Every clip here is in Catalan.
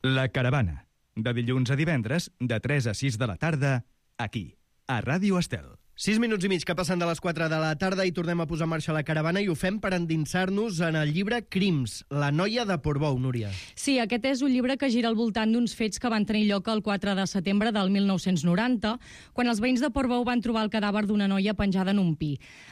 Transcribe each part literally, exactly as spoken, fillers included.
La Caravana, de dilluns a divendres, de tres a sis de la tarda, aquí, a Ràdio Estel. Sis minuts i mig que passen de les quatre de la tarda i tornem a posar en marxa la caravana i ho fem per endinsar-nos en el llibre Crims, la noia de Portbou, Núria. Sí, aquest és un llibre que gira al voltant d'uns fets que van tenir lloc el quatre de setembre del mil nou-cents noranta, quan els veïns de Portbou van trobar el cadàver d'una noia penjada en un pi.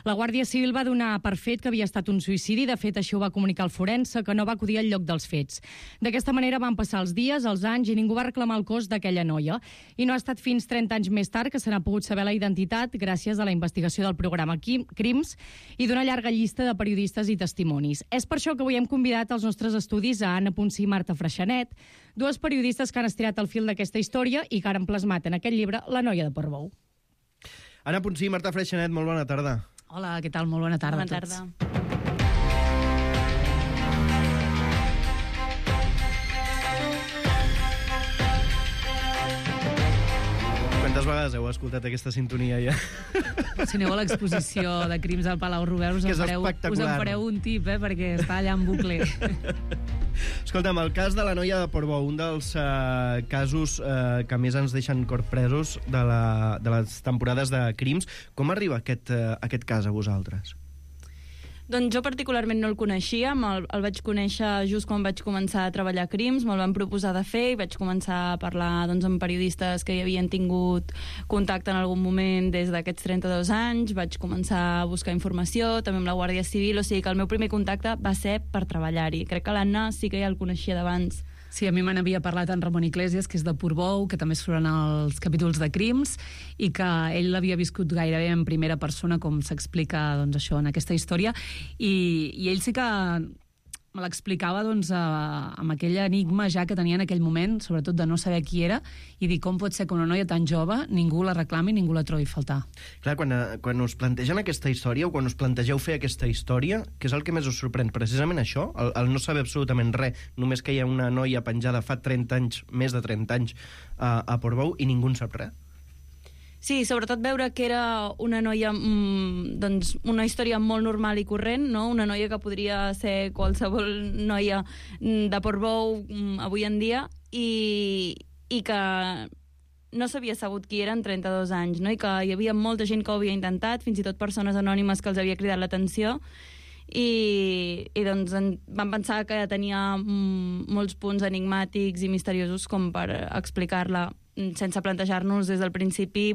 La Guàrdia Civil va donar per fet que havia estat un suïcidi, de fet això ho va comunicar el forense, que no va acudir al lloc dels fets. D'aquesta manera van passar els dies, els anys, i ningú va reclamar el cos d'aquella noia. I no ha estat fins trenta anys més tard que se n'ha pogut saber la identitat gràcies gràcies a la investigació del programa Crims i d'una llarga llista de periodistes i testimonis. És per això que avui hem convidat als nostres estudis a Anna Ponsí i Marta Freixanet, dues periodistes que han estirat el fil d'aquesta història i que han plasmat en aquest llibre La noia de Portbou. Anna Ponsí i Marta Freixanet, molt bona tarda. Hola, què tal? Molt bona tarda bona a tots. Tarda. Quantes vegades heu escoltat aquesta sintonia ja? Si aneu a l'exposició de Crims al Palau Robert us en, fareu, us en fareu un tip, eh, perquè està allà en bucle. Escolta'm, el cas de la noia de Portbou, un dels uh, casos uh, que més ens deixen corpresos de, la, de les temporades de Crims. Com arriba aquest, uh, aquest cas a vosaltres? Doncs jo particularment no el coneixia, el, el vaig conèixer just quan vaig començar a treballar a Crims, me'l van proposar de fer i vaig començar a parlar doncs, amb periodistes que hi havien tingut contacte en algun moment des d'aquests trenta-dos anys, vaig començar a buscar informació, també amb la Guàrdia Civil, o sigui que el meu primer contacte va ser per treballar-hi. Crec que l'Anna sí que ja el coneixia d'abans. Sí, a mi me n'havia parlat en Ramon Iglesias, que és de Portbou, que també surt en els capítols de Crims, i que ell l'havia viscut gairebé en primera persona, com s'explica doncs, això en aquesta història, i, i ell sí que me l'explicava doncs, eh, amb aquell enigma ja que tenia en aquell moment, sobretot de no saber qui era, i dir com pot ser que una noia tan jove ningú la reclami, ningú la trobi a faltar. Clar, quan, quan us plantegen aquesta història o quan us plantegeu fer aquesta història, què és el que més us sorprèn? Precisament això, el, el no saber absolutament res, només que hi ha una noia penjada fa trenta anys, més de trenta anys, a, a Portbou i ningú en sap res? Sí, sobretot veure que era una noia, mmm, doncs una història molt normal i corrent, no? Una noia que podria ser qualsevol noia de Portbou mmm, avui en dia i, i que no s'havia sabut qui era en trenta-dos anys, no? I que hi havia molta gent que ho havia intentat, fins i tot persones anònimes que els havia cridat l'atenció i, i doncs en, van pensar que tenia mmm, molts punts enigmàtics i misteriosos com per explicar-la sense plantejar-nos des del principi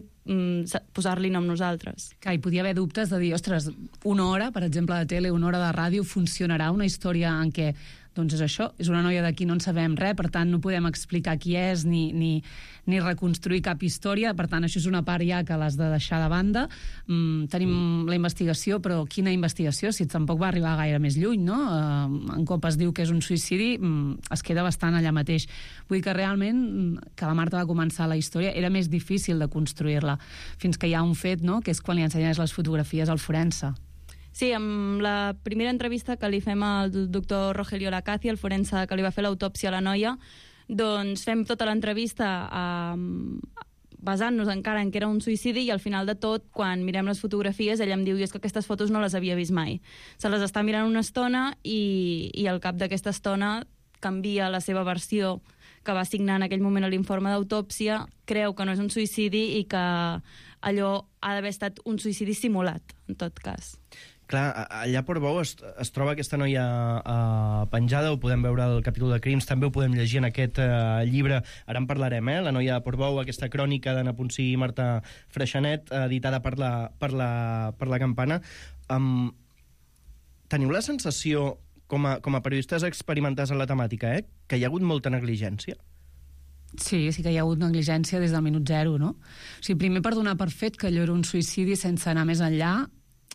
posar-li nom nosaltres. Que hi podia haver dubtes de dir, ostres, una hora, per exemple, de tele, una hora de ràdio, funcionarà una història en què, doncs és això, és una noia de qui no en sabem res, per tant no podem explicar qui és ni, ni, ni reconstruir cap història, per tant això és una part ja que l'has de deixar de banda. Mm, tenim la investigació, però quina investigació? Si tampoc va arribar gaire més lluny, no? Uh, en cop es diu que és un suïcidi, mm, es queda bastant allà mateix. Vull dir que realment, que la Marta va començar la història, era més difícil de construir-la, fins que hi ha un fet, no?, que és quan li ensenyes les fotografies al forense. Sí, amb la primera entrevista que li fem al doctor Rogelio Lacaci, el forense que li va fer l'autòpsia a la noia, doncs fem tota l'entrevista eh, basant-nos encara en que era un suïcidi i al final de tot, quan mirem les fotografies, ella em diu i és que aquestes fotos no les havia vist mai. Se les està mirant una estona i, i al cap d'aquesta estona canvia la seva versió que va signar en aquell moment a l'informe d'autòpsia, creu que no és un suïcidi i que allò ha d'haver estat un suïcidi simulat, en tot cas. Clar, allà a Portbou es, es troba aquesta noia uh, penjada, ho podem veure al capítol de Crims, també ho podem llegir en aquest uh, llibre, ara en parlarem, eh? La noia de Portbou, aquesta crònica d'Anna Ponsí i Marta Freixanet, editada per la, per la, per la Campana. Um, teniu la sensació, com a, com a periodistes experimentats en la temàtica, eh, que hi ha hagut molta negligència? Sí, sí que hi ha hagut negligència des del minut zero, no? O sigui, primer per donar per fet que allò era un suïcidi sense anar més enllà,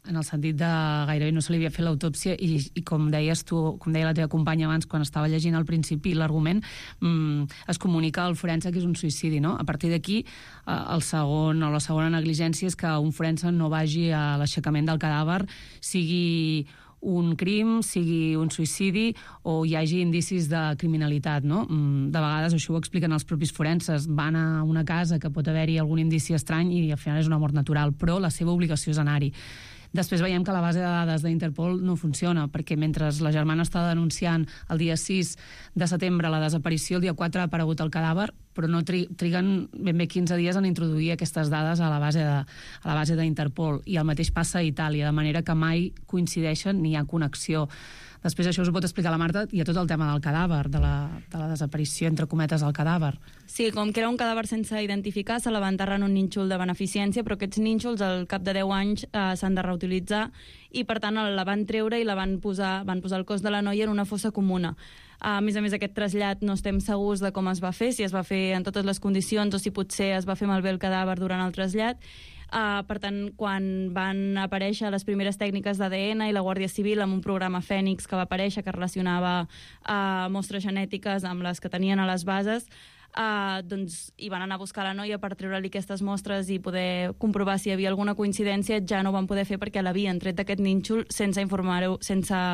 en el sentit de gairebé no se li havia fet l'autòpsia i, i com deies tu, com deia la teva companya abans quan estava llegint al principi l'argument, mmm, es comunica al forense que és un suïcidi, no? A partir d'aquí, eh, el segon o la segona negligència és que un forense no vagi a l'aixecament del cadàver, sigui un crim, sigui un suïcidi o hi hagi indicis de criminalitat, no? De vegades això ho expliquen els propis forenses, van a una casa que pot haver-hi algun indici estrany i al final és una mort natural, però la seva obligació és anar-hi. Després veiem que la base de dades d'Interpol no funciona, perquè mentre la germana està denunciant el dia sis de setembre la desaparició, el dia quatre ha aparegut el cadàver, però no tri triguen ben bé quinze dies en introduir aquestes dades a la base de, a la base d'Interpol. I el mateix passa a Itàlia, de manera que mai coincideixen ni hi ha connexió. Després això us ho pot explicar la Marta, i a tot el tema del cadàver, de la, de la desaparició, entre cometes, del cadàver. Sí, com que era un cadàver sense identificar, se la va enterrar en un nínxol de beneficència, però aquests nínxols al cap de deu anys eh, s'han de reutilitzar i, per tant, la van treure i la van posar, van posar el cos de la noia en una fossa comuna. A més a més, aquest trasllat no estem segurs de com es va fer, si es va fer en totes les condicions o si potser es va fer malbé el cadàver durant el trasllat. Uh, per tant, quan van aparèixer les primeres tècniques d'A D N i la Guàrdia Civil amb un programa Fènix que va aparèixer, que relacionava uh, mostres genètiques amb les que tenien a les bases, uh, doncs hi van anar a buscar la noia per treure-li aquestes mostres i poder comprovar si hi havia alguna coincidència. Ja no ho van poder fer perquè l'havien tret d'aquest nínxol sense informar-ho, sense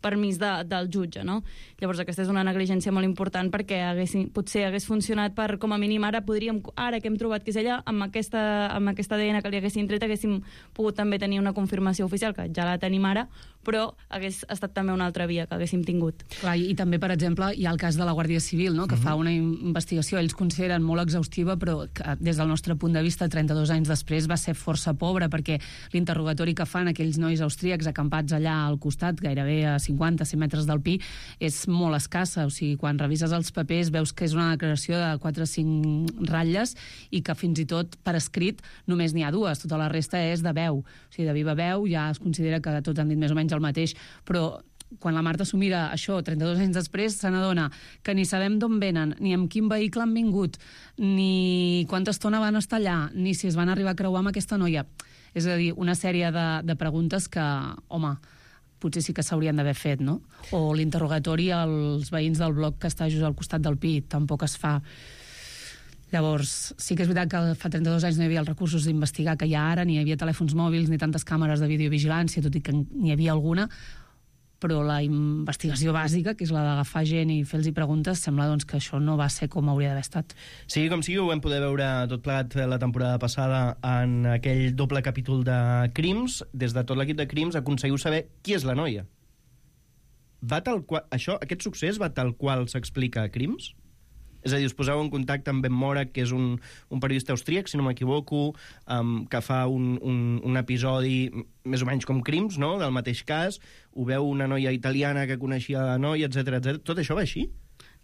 permís de, del jutge, no? Llavors aquesta és una negligència molt important perquè haguessin, potser hagués funcionat per, com a mínim ara podríem, ara que hem trobat que és ella, amb aquesta, amb aquesta A D N que li haguessin tret haguéssim pogut també tenir una confirmació oficial, que ja la tenim ara, però hagués estat també una altra via que haguéssim tingut. Clar, i també, per exemple, hi ha el cas de la Guàrdia Civil, no?, que uh-huh. fa una investigació, ells consideren molt exhaustiva, però que, des del nostre punt de vista, trenta-dos anys després va ser força pobra, perquè l'interrogatori que fan aquells nois austríacs acampats allà al costat, gairebé a cinquanta a cent metres del Pi, és molt escassa. O sigui, quan revises els papers veus que és una declaració de quatre o cinc ratlles i que fins i tot per escrit només n'hi ha dues, tota la resta és de veu. O sigui, de viva veu ja es considera que tots han dit més o menys el mateix, però quan la Marta s'ho mira, això, trenta-dos anys després, se n'adona que ni sabem d'on venen, ni amb quin vehicle han vingut, ni quanta estona van estar allà, ni si es van arribar a creuar amb aquesta noia. És a dir, una sèrie de, de preguntes que, home, potser sí que s'haurien d'haver fet, no? O l'interrogatori als veïns del bloc que està just al costat del Pi, tampoc es fa. Llavors, sí que és veritat que fa trenta-dos anys no hi havia els recursos d'investigar que hi ha ara, ni hi havia telèfons mòbils, ni tantes càmeres de videovigilància, tot i que n'hi havia alguna, però la investigació bàsica, que és la d'agafar gent i fer-los preguntes, sembla doncs, que això no va ser com hauria d'haver estat. Sí, com sigui, ho vam poder veure tot plegat la temporada passada en aquell doble capítol de Crims. Des de tot l'equip de Crims aconseguiu saber qui és la noia. Va tal qual, això, aquest succés va tal qual s'explica a Crims? És a dir, us poseu en contacte amb Ben Mora, que és un, un periodista austríac, si no m'equivoco, um, que fa un, un, un episodi més o menys com Crims, no?, del mateix cas. Ho veu una noia italiana que coneixia la noia, etcètera, etcètera. Tot això va així?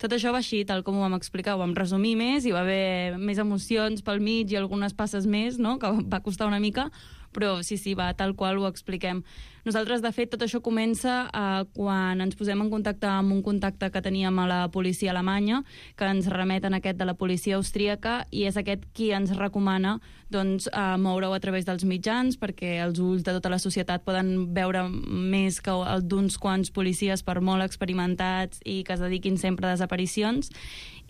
Tot això va així, tal com ho vam explicar, ho vam resumir més, hi va haver més emocions pel mig i algunes passes més, no?, que va costar una mica, però sí, sí, va tal qual ho expliquem. Nosaltres, de fet, tot això comença eh, quan ens posem en contacte amb un contacte que teníem a la policia alemanya, que ens remeten aquest de la policia austríaca, i és aquest qui ens recomana doncs, eh, moure-ho a través dels mitjans, perquè els ulls de tota la societat poden veure més que el d'uns quants policies, per molt experimentats i que es dediquin sempre a desaparicions.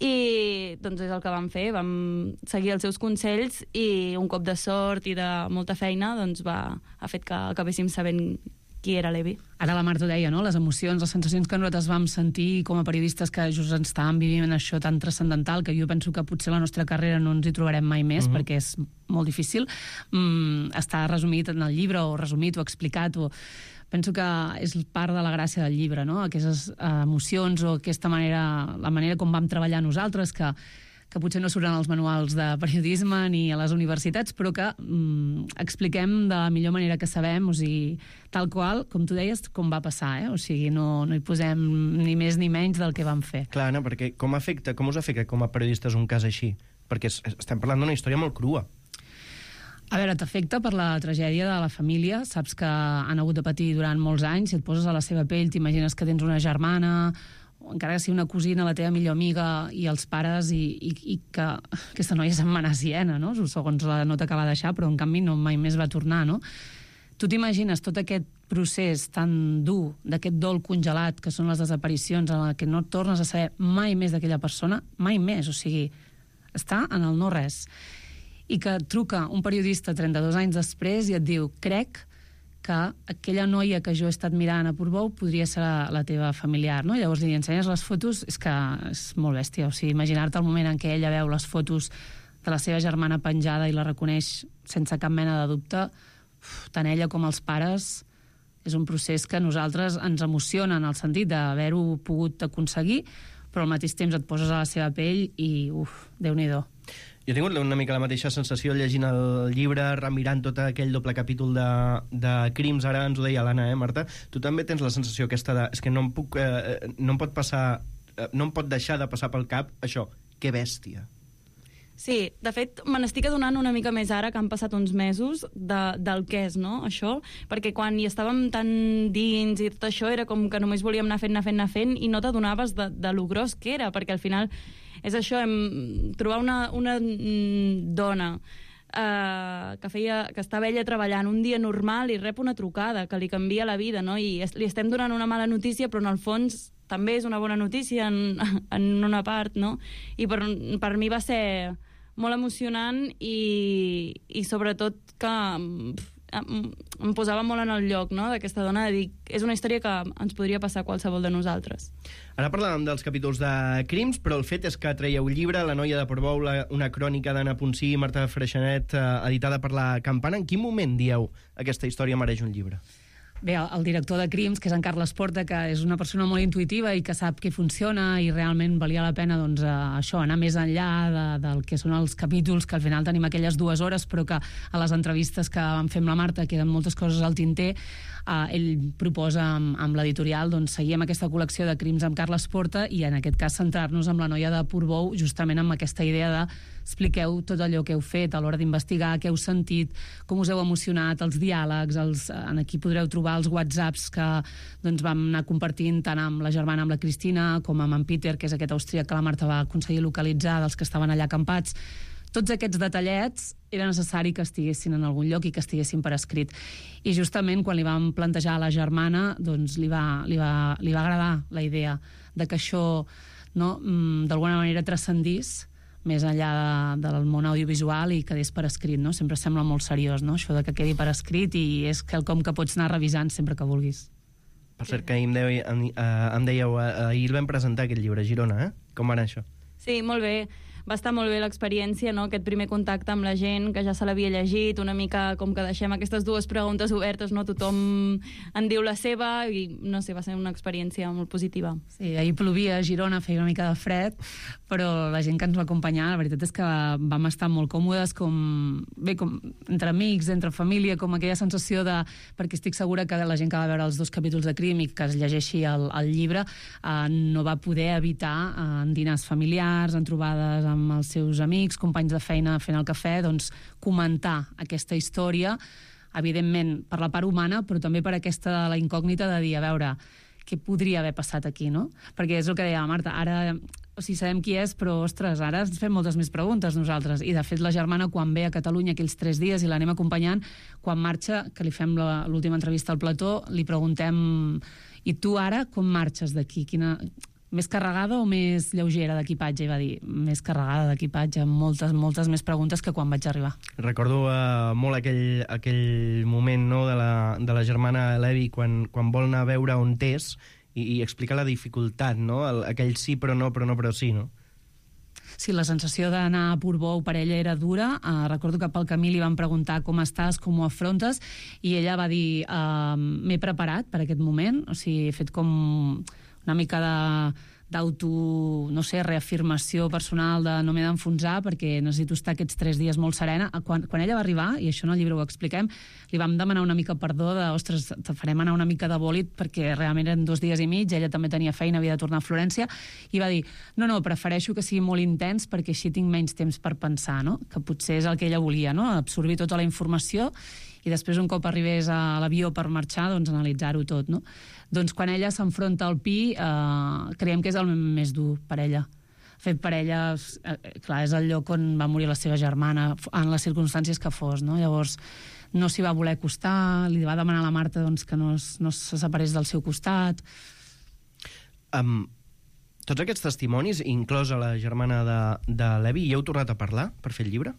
I doncs és el que vam fer, vam seguir els seus consells i un cop de sort i de molta feina doncs va, ha fet que acabéssim sabent qui era l'Evi. Ara la Marta ho deia, no?, les emocions, les sensacions que nosaltres vam sentir com a periodistes que just ens estàvem vivint això tan transcendental, que jo penso que potser la nostra carrera no ens hi trobarem mai més, uh-huh. perquè és molt difícil, mm, està resumit en el llibre, o resumit, o explicat, o... Penso que és part de la gràcia del llibre, no?, aquestes uh, emocions o aquesta manera, la manera com vam treballar nosaltres, que, que potser no surten als manuals de periodisme ni a les universitats, però que um, expliquem de la millor manera que sabem, o sigui, tal qual, com tu deies, com va passar, eh? O sigui, no, no hi posem ni més ni menys del que vam fer. Clar, no, perquè com, afecta, com us afecta com a periodistes un cas així? Perquè estem parlant d'una història molt crua. A veure, t'afecta per la tragèdia de la família, saps que han hagut de patir durant molts anys, si et poses a la seva pell, t'imagines que tens una germana, o encara que sigui una cosina, la teva millor amiga, i els pares, i, i, i que aquesta noia se'n va anar a Siena, no?, segons la nota que va deixar, però en canvi no mai més va tornar, no? Tu t'imagines tot aquest procés tan dur, d'aquest dol congelat, que són les desaparicions, en què no tornes a saber mai més d'aquella persona, mai més, o sigui, està en el no res. I que truca un periodista trenta-dos anys després i et diu, crec que aquella noia que jo he estat mirant a Portbou podria ser la, la teva familiar, no? I llavors li ensenyes les fotos, és que és molt bèstia, o sigui, imaginar-te el moment en què ella veu les fotos de la seva germana penjada i la reconeix sense cap mena de dubte, uf, tant ella com els pares, és un procés que a nosaltres ens emociona en el sentit d'haver-ho pogut aconseguir, però al mateix temps et poses a la seva pell i, uf, Déu-n'hi-do. Jo he tingut una mica la mateixa sensació llegint el llibre, remirant tot aquell doble capítol de, de crims, ara ens ho deia l'Anna, eh, Marta? Tu també tens la sensació aquesta de... És que no em puc... Eh, no em pot passar... Eh, no em pot deixar de passar pel cap això. Que bèstia. Sí, de fet, me n'estic adonant una mica més ara que han passat uns mesos de, del què és, no?, això, perquè quan hi estàvem tan dins i tot això era com que només volíem anar fent, anar fent, anar fent i no t'adonaves de, de lo gros que era, perquè al final és això, hem, trobar una, una dona eh, que, feia, que estava ella treballant un dia normal i rep una trucada que li canvia la vida, no?, i es, li estem donant una mala notícia, però en el fons també és una bona notícia en, en una part, no? I per, per mi va ser molt emocionant i, i sobretot que em, em posava molt en el lloc, no?, d'aquesta dona, de dir, és una història que ens podria passar a qualsevol de nosaltres. Ara parlàvem dels capítols de crims, però el fet és que traieu llibre, La noia de Portbou, la, una crònica d'Anna Ponsí i Marta Freixanet, eh, editada per La Campana. En quin moment dieu aquesta història mereix un llibre? Bé, el, el director de Crims, que és en Carles Porta, que és una persona molt intuïtiva i que sap què funciona i realment valia la pena doncs, eh, això, anar més enllà de, del que són els capítols, que al final tenim aquelles dues hores, però que a les entrevistes que vam fer amb la Marta queden moltes coses al tinter. Uh, ell proposa amb, amb l'editorial doncs, seguir amb aquesta col·lecció de Crims amb Carles Porta i en aquest cas centrar-nos amb La noia de Portbou, justament amb aquesta idea de expliqueu tot allò que heu fet a l'hora d'investigar, què heu sentit, com us heu emocionat, els diàlegs, els, en aquí podreu trobar els whatsapps que doncs, vam anar compartint tant amb la germana, amb la Cristina, com amb en Peter, que és aquest austríac que la Marta va aconseguir localitzar, dels que estaven allà acampats. Tots aquests detallets era necessari que estiguessin en algun lloc i que estiguessin per escrit. I justament quan li vam plantejar a la germana, doncs li va, li va, li va agradar la idea de que això, no, d'alguna manera transcendís més enllà de, del món audiovisual i quedés per escrit, no? Sempre sembla molt seriós, no?, això de que quedi per escrit, i és quelcom que pots anar revisant sempre que vulguis. Per cert, que ahir em, dèieu, em, em dèieu, ahir el vam presentar aquest llibre a Girona, eh? Com va anar això? Sí, molt bé. Va estar molt bé l'experiència, no?, aquest primer contacte amb la gent que ja se l'havia llegit, una mica com que deixem aquestes dues preguntes obertes, no?, tothom en diu la seva i, no sé, va ser una experiència molt positiva. Sí, ahir plovia a Girona, feia una mica de fred, però la gent que ens va acompanyar, la veritat és que vam estar molt còmodes, com, bé, com entre amics, entre família, com aquella sensació de... perquè estic segura que la gent que va veure els dos capítols de Crim i que es llegeixi el, el llibre eh, no va poder evitar eh, en dinars familiars, en trobades amb els seus amics, companys de feina fent el cafè, doncs comentar aquesta història, evidentment per la part humana, però també per aquesta la incògnita de dir, a veure, què podria haver passat aquí, no? Perquè és el que deia la Marta, ara, o sigui, sabem qui és, però, ostres, ara ens fem moltes més preguntes nosaltres, i de fet la germana quan ve a Catalunya aquells tres dies i l'anem acompanyant, quan marxa, que li fem l'última entrevista al plató, li preguntem, i tu ara com marxes d'aquí? Quina... més carregada o més lleugera d'equipatge? I va dir, més carregada d'equipatge, amb moltes, moltes més preguntes que quan vaig arribar. Recordo uh, molt aquell, aquell moment, no?, de la, de la germana Levi quan, quan vol anar a veure on és i, i explicar la dificultat, no?, El, aquell sí però no, però no però sí, no? Sí, la sensació d'anar a Portbou per ella era dura. Uh, recordo que pel camí li van preguntar com estàs, com ho afrontes, i ella va dir, uh, m'he preparat per aquest moment, o sigui, he fet com una mica de d'auto, no sé, reafirmació personal de no m'he d'enfonsar perquè necessito estar aquests tres dies molt serena. Quan, quan ella va arribar, i això en el llibre ho expliquem, li vam demanar una mica perdó de, ostres, te farem anar una mica de bòlit perquè realment eren dos dies i mig, ella també tenia feina, havia de tornar a Florència, i va dir, no, no, prefereixo que sigui molt intens perquè així tinc menys temps per pensar, no?, que potser és el que ella volia, no?, absorbir tota la informació i després un cop arribés a l'avió per marxar, doncs analitzar-ho tot, no? Doncs quan ella s'enfronta al Pi, eh, creiem que és el més dur per ella. Fet per ella, eh, clar, és el lloc on va morir la seva germana, en les circumstàncies que fos, no? Llavors, no s'hi va voler acostar, li va demanar a la Marta doncs, que no, es, no se separés del seu costat. Um, tots aquests testimonis, inclosa la germana de, de Levi, hi heu tornat a parlar per fer el llibre?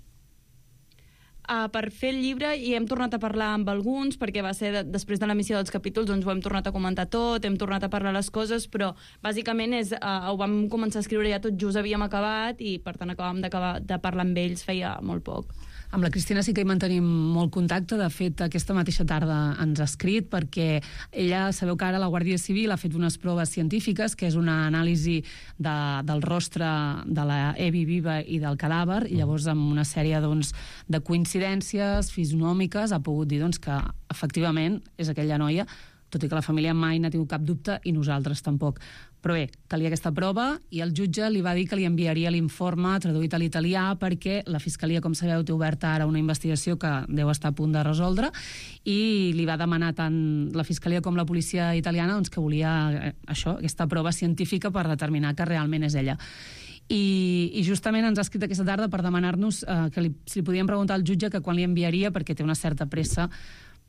Uh, per fer el llibre i hem tornat a parlar amb alguns perquè va ser de, després de l'emissió dels capítols, doncs ho hem tornat a comentar tot, hem tornat a parlar les coses, però bàsicament és, uh, ho vam començar a escriure ja tot just havíem acabat i per tant acabàvem d'acabar de parlar amb ells feia molt poc. Amb la Cristina sí que hi mantenim molt contacte. De fet, aquesta mateixa tarda ens ha escrit perquè ella, sabeu que ara la Guàrdia Civil ha fet unes proves científiques, que és una anàlisi de, del rostre de la Evi viva i del cadàver, i llavors amb una sèrie doncs, de coincidències fisonòmiques ha pogut dir doncs, que efectivament és aquella noia, tot i que la família mai n'ha tingut cap dubte i nosaltres tampoc. Però bé, calia aquesta prova i el jutge li va dir que li enviaria l'informe traduït a l'italià perquè la Fiscalia, com sabeu, té oberta ara una investigació que deu estar a punt de resoldre i li va demanar tant la Fiscalia com la policia italiana doncs, que volia eh, això, aquesta prova científica per determinar que realment és ella. I, i justament ens ha escrit aquesta tarda per demanar-nos eh, que li, si li podíem preguntar al jutge que quan li enviaria, perquè té una certa pressa,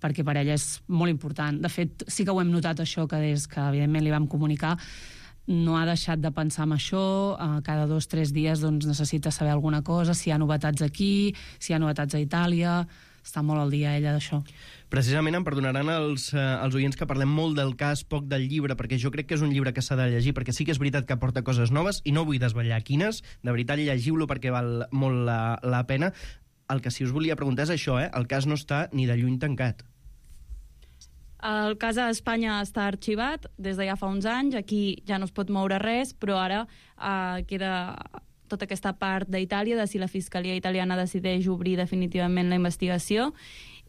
perquè per ella és molt important. De fet, sí que ho hem notat això, que des que evidentment li vam comunicar, no ha deixat de pensar en això, eh, cada dos o tres dies doncs, necessita saber alguna cosa, si hi ha novetats aquí, si hi ha novetats a Itàlia, està molt al dia ella d'això. Precisament em perdonaran els, eh, els oients que parlem molt del cas, poc del llibre, perquè jo crec que és un llibre que s'ha de llegir, perquè sí que és veritat que aporta coses noves i no vull desvetllar quines, de veritat llegiu-lo perquè val molt la, la pena. El que sí us volia preguntar és això, eh? El cas no està ni de lluny tancat. El cas a Espanya està arxivat des de ja fa uns anys, aquí ja no es pot moure res, però ara eh, queda tota aquesta part d'Itàlia, de si la Fiscalia italiana decideix obrir definitivament la investigació,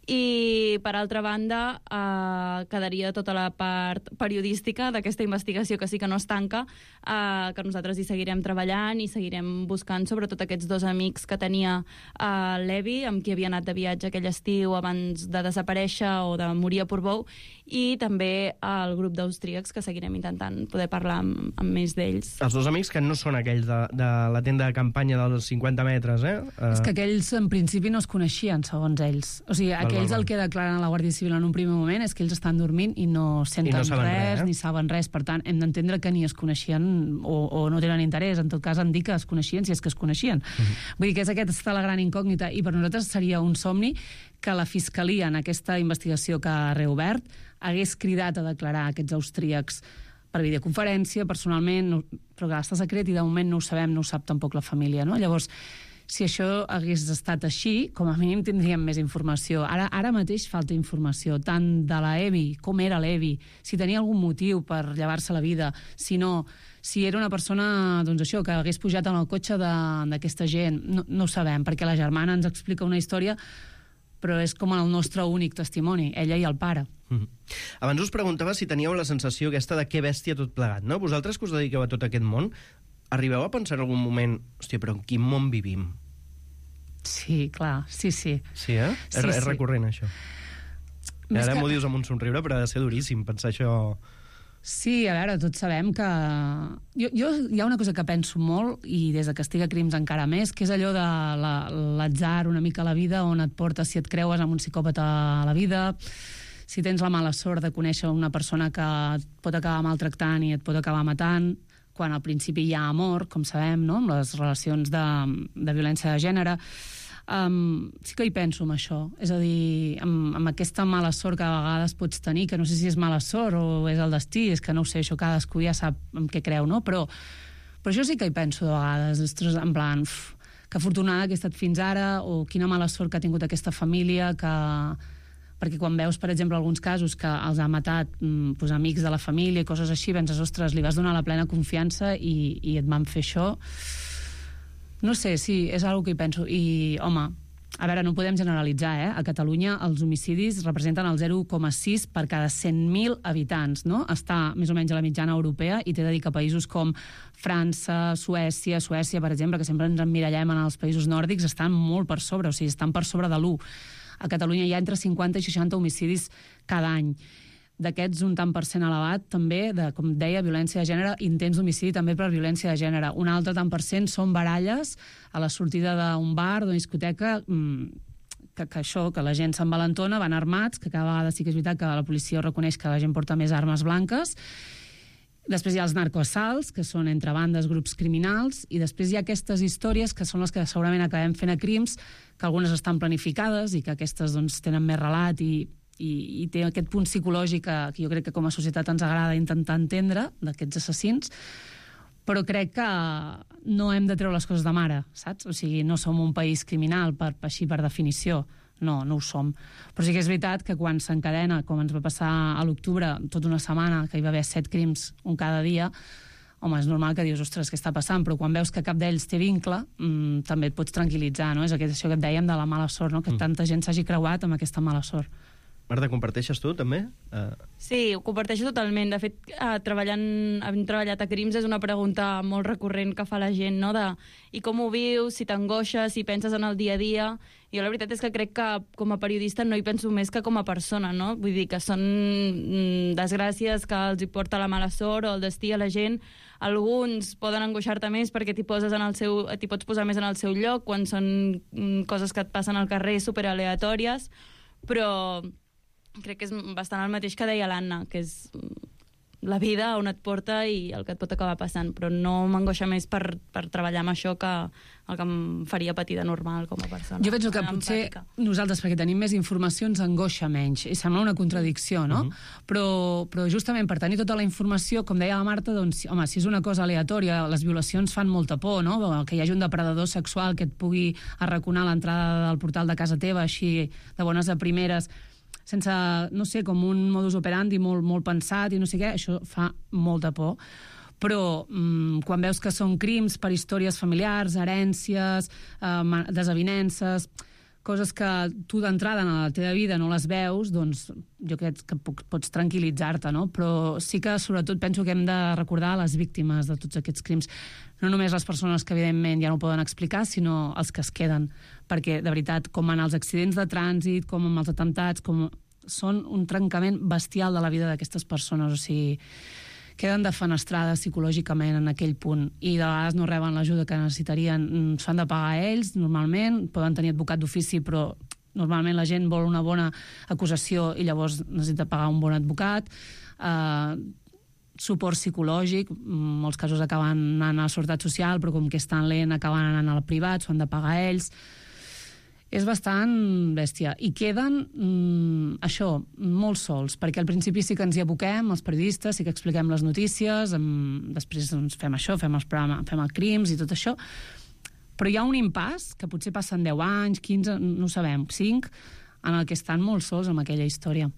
i per altra banda eh, quedaria tota la part periodística d'aquesta investigació que sí que no es tanca, eh, que nosaltres hi seguirem treballant i seguirem buscant sobretot aquests dos amics que tenia eh, l'Evi, amb qui havia anat de viatge aquell estiu abans de desaparèixer o de morir a Portbou, i també el grup d'austríacs que seguirem intentant poder parlar amb, amb més d'ells. Els dos amics que no són aquells de, de la tenda de campanya dels cinquanta metres, eh? Uh... És que aquells en principi no es coneixien, segons ells. O sigui, val, aquells val, val. El que declaren a la Guàrdia Civil en un primer moment és que ells estan dormint i no senten I no res, res eh? ni saben res. Per tant, hem d'entendre que ni es coneixien o, o no tenen interès. En tot cas, en dir que es coneixien si és que es coneixien. Uh-huh. Vull dir que és aquesta la gran incògnita, i per nosaltres seria un somni que la Fiscalia, en aquesta investigació que ha reobert, hagués cridat a declarar aquests austríacs per videoconferència, personalment, no, però que està secret i de moment no ho sabem, no ho sap tampoc la família, no? Llavors, si això hagués estat així, com a mínim tindríem més informació. Ara, ara mateix falta informació, tant de la Evi, com era l'Evi, si tenia algun motiu per llevar-se la vida, si no, si era una persona, doncs això, que hagués pujat en el cotxe d'aquesta gent, no, no ho sabem, perquè la germana ens explica una història, però és com el nostre únic testimoni, ella i el pare. Mm-hmm. Abans us preguntava si teníeu la sensació aquesta de què bèstia tot plegat, no? Vosaltres que us dediqueu a tot aquest món, arribeu a pensar en algun moment, hòstia, però en quin món vivim? Sí, clar, sí, sí. Sí, eh? Sí, és, és sí. recurrent, això. I ara que... m'ho dius amb un somriure, però ha de ser duríssim pensar això... Sí, a veure, tots sabem que... Jo, jo hi ha una cosa que penso molt, i des de que estic a Crims encara més, que és allò de l'atzar una mica a la vida, on et porta si et creues amb un psicòpata a la vida, si tens la mala sort de conèixer una persona que et pot acabar maltractant i et pot acabar matant, quan al principi hi ha amor, com sabem, no?, amb les relacions de, de violència de gènere. Um, sí que hi penso amb això, és a dir, amb, amb aquesta mala sort que a vegades pots tenir, que no sé si és mala sort o és el destí, és que no ho sé, això cadascú ja sap en què creu, no? Però, però això sí que hi penso de vegades, ostres, en plan, uf, que afortunada que he estat fins ara, o quina mala sort que ha tingut aquesta família, que... perquè quan veus, per exemple, alguns casos que els ha matat doncs, amics de la família i coses així, penses, ostres, li vas donar la plena confiança i, i et van fer això. No sé, sí, és una cosa que hi penso. I, home, a veure, no podem generalitzar, eh? A Catalunya els homicidis representen el zero coma sis per cada cent mil habitants, no? Està més o menys a la mitjana europea i té de dir que països com França, Suècia, Suècia, per exemple, que sempre ens emmirallem en els països nòrdics, estan molt per sobre, o sigui, estan per sobre de l'u. A Catalunya hi ha entre cinquanta i seixanta homicidis cada any. D'aquests, un tant per cent elevat, també, de, com deia, violència de gènere, intents d'homicidi també per violència de gènere. Un altre tant per cent són baralles a la sortida d'un bar, d'una discoteca, que, que això, que la gent s'envalentona, van armats, que cada vegada sí que és veritat que la policia reconeix que la gent porta més armes blanques. Després hi ha els narcoassalts, que són entre bandes, grups criminals, i després hi ha aquestes històries que són les que segurament acabem fent a Crims, que algunes estan planificades i que aquestes doncs, tenen més relat i, i, i té aquest punt psicològic que, que jo crec que com a societat ens agrada intentar entendre d'aquests assassins, però crec que no hem de treure les coses de mare, saps? O sigui, no som un país criminal, per, així per definició. No, no ho som. Però sí que és veritat que quan s'encadena, com ens va passar a l'octubre, tota una setmana, que hi va haver set crims un cada dia, home, és normal que dius, ostres, què està passant? Però quan veus que cap d'ells té vincle, mmm, també et pots tranquil·litzar, no? És això que et dèiem de la mala sort, no? Que mm. tanta gent s'hagi creuat amb aquesta mala sort. Marta, comparteixes tu, també? Uh... Sí, ho comparteixo totalment. De fet, eh, treballant, havent treballat a Crims és una pregunta molt recurrent que fa la gent, no? De i com ho vius, si t'angoixes, si penses en el dia a dia. Jo la veritat és que crec que com a periodista no hi penso més que com a persona, no? Vull dir que són mm, desgràcies que els hi porta la mala sort o el destí a la gent. Alguns poden angoixar-te més perquè t'hi poses en el seu, t'hi pots posar més en el seu lloc quan són mm, coses que et passen al carrer superaleatòries, però crec que és bastant el mateix que deia l'Anna, que és la vida on et porta i el que et pot acabar passant, però no m'angoixa més per, per treballar amb això que el que em faria patir de normal com a persona. Jo penso que potser empàtica. Nosaltres, perquè tenim més informació, ens angoixa menys, i sembla una contradicció, no? Uh-huh. Però, però justament per tenir tota la informació, com deia la Marta, doncs, home, si és una cosa aleatòria, les violacions fan molta por, no? Que hi hagi un depredador sexual que et pugui arraconar l'entrada del portal de casa teva, així de bones a primeres, sense, no sé, com un modus operandi molt, molt pensat i no sé què, això fa molta por. Però mmm, quan veus que són crims per històries familiars, herències, eh, desavinences, coses que tu d'entrada en la teva vida no les veus, doncs jo crec que pots tranquil·litzar-te, no? Però sí que sobretot penso que hem de recordar les víctimes de tots aquests crims. No només les persones que evidentment ja no ho poden explicar, sinó els que es queden. Perquè, de veritat, com en els accidents de trànsit, com en els atemptats, com són un trencament bestial de la vida d'aquestes persones. O sigui, queden defenestrades psicològicament en aquell punt i de vegades no reben l'ajuda que necessitarien. S'han de pagar ells, normalment, poden tenir advocat d'ofici, però normalment la gent vol una bona acusació i llavors necessita pagar un bon advocat. Eh, suport psicològic, en molts casos acaben anant a la Seguretat Social, però com que és tan lent acaben anant al privat, s'ho han de pagar ells. És bastant bèstia. I queden, mm, això, molt sols, perquè al principi sí que ens hi aboquem, els periodistes, sí que expliquem les notícies, amb... després doncs, fem això, fem els programes, fem els crims i tot això, però hi ha un impàs, que potser passen deu anys, quinze, no ho sabem, cinc, en el que estan molt sols amb aquella història.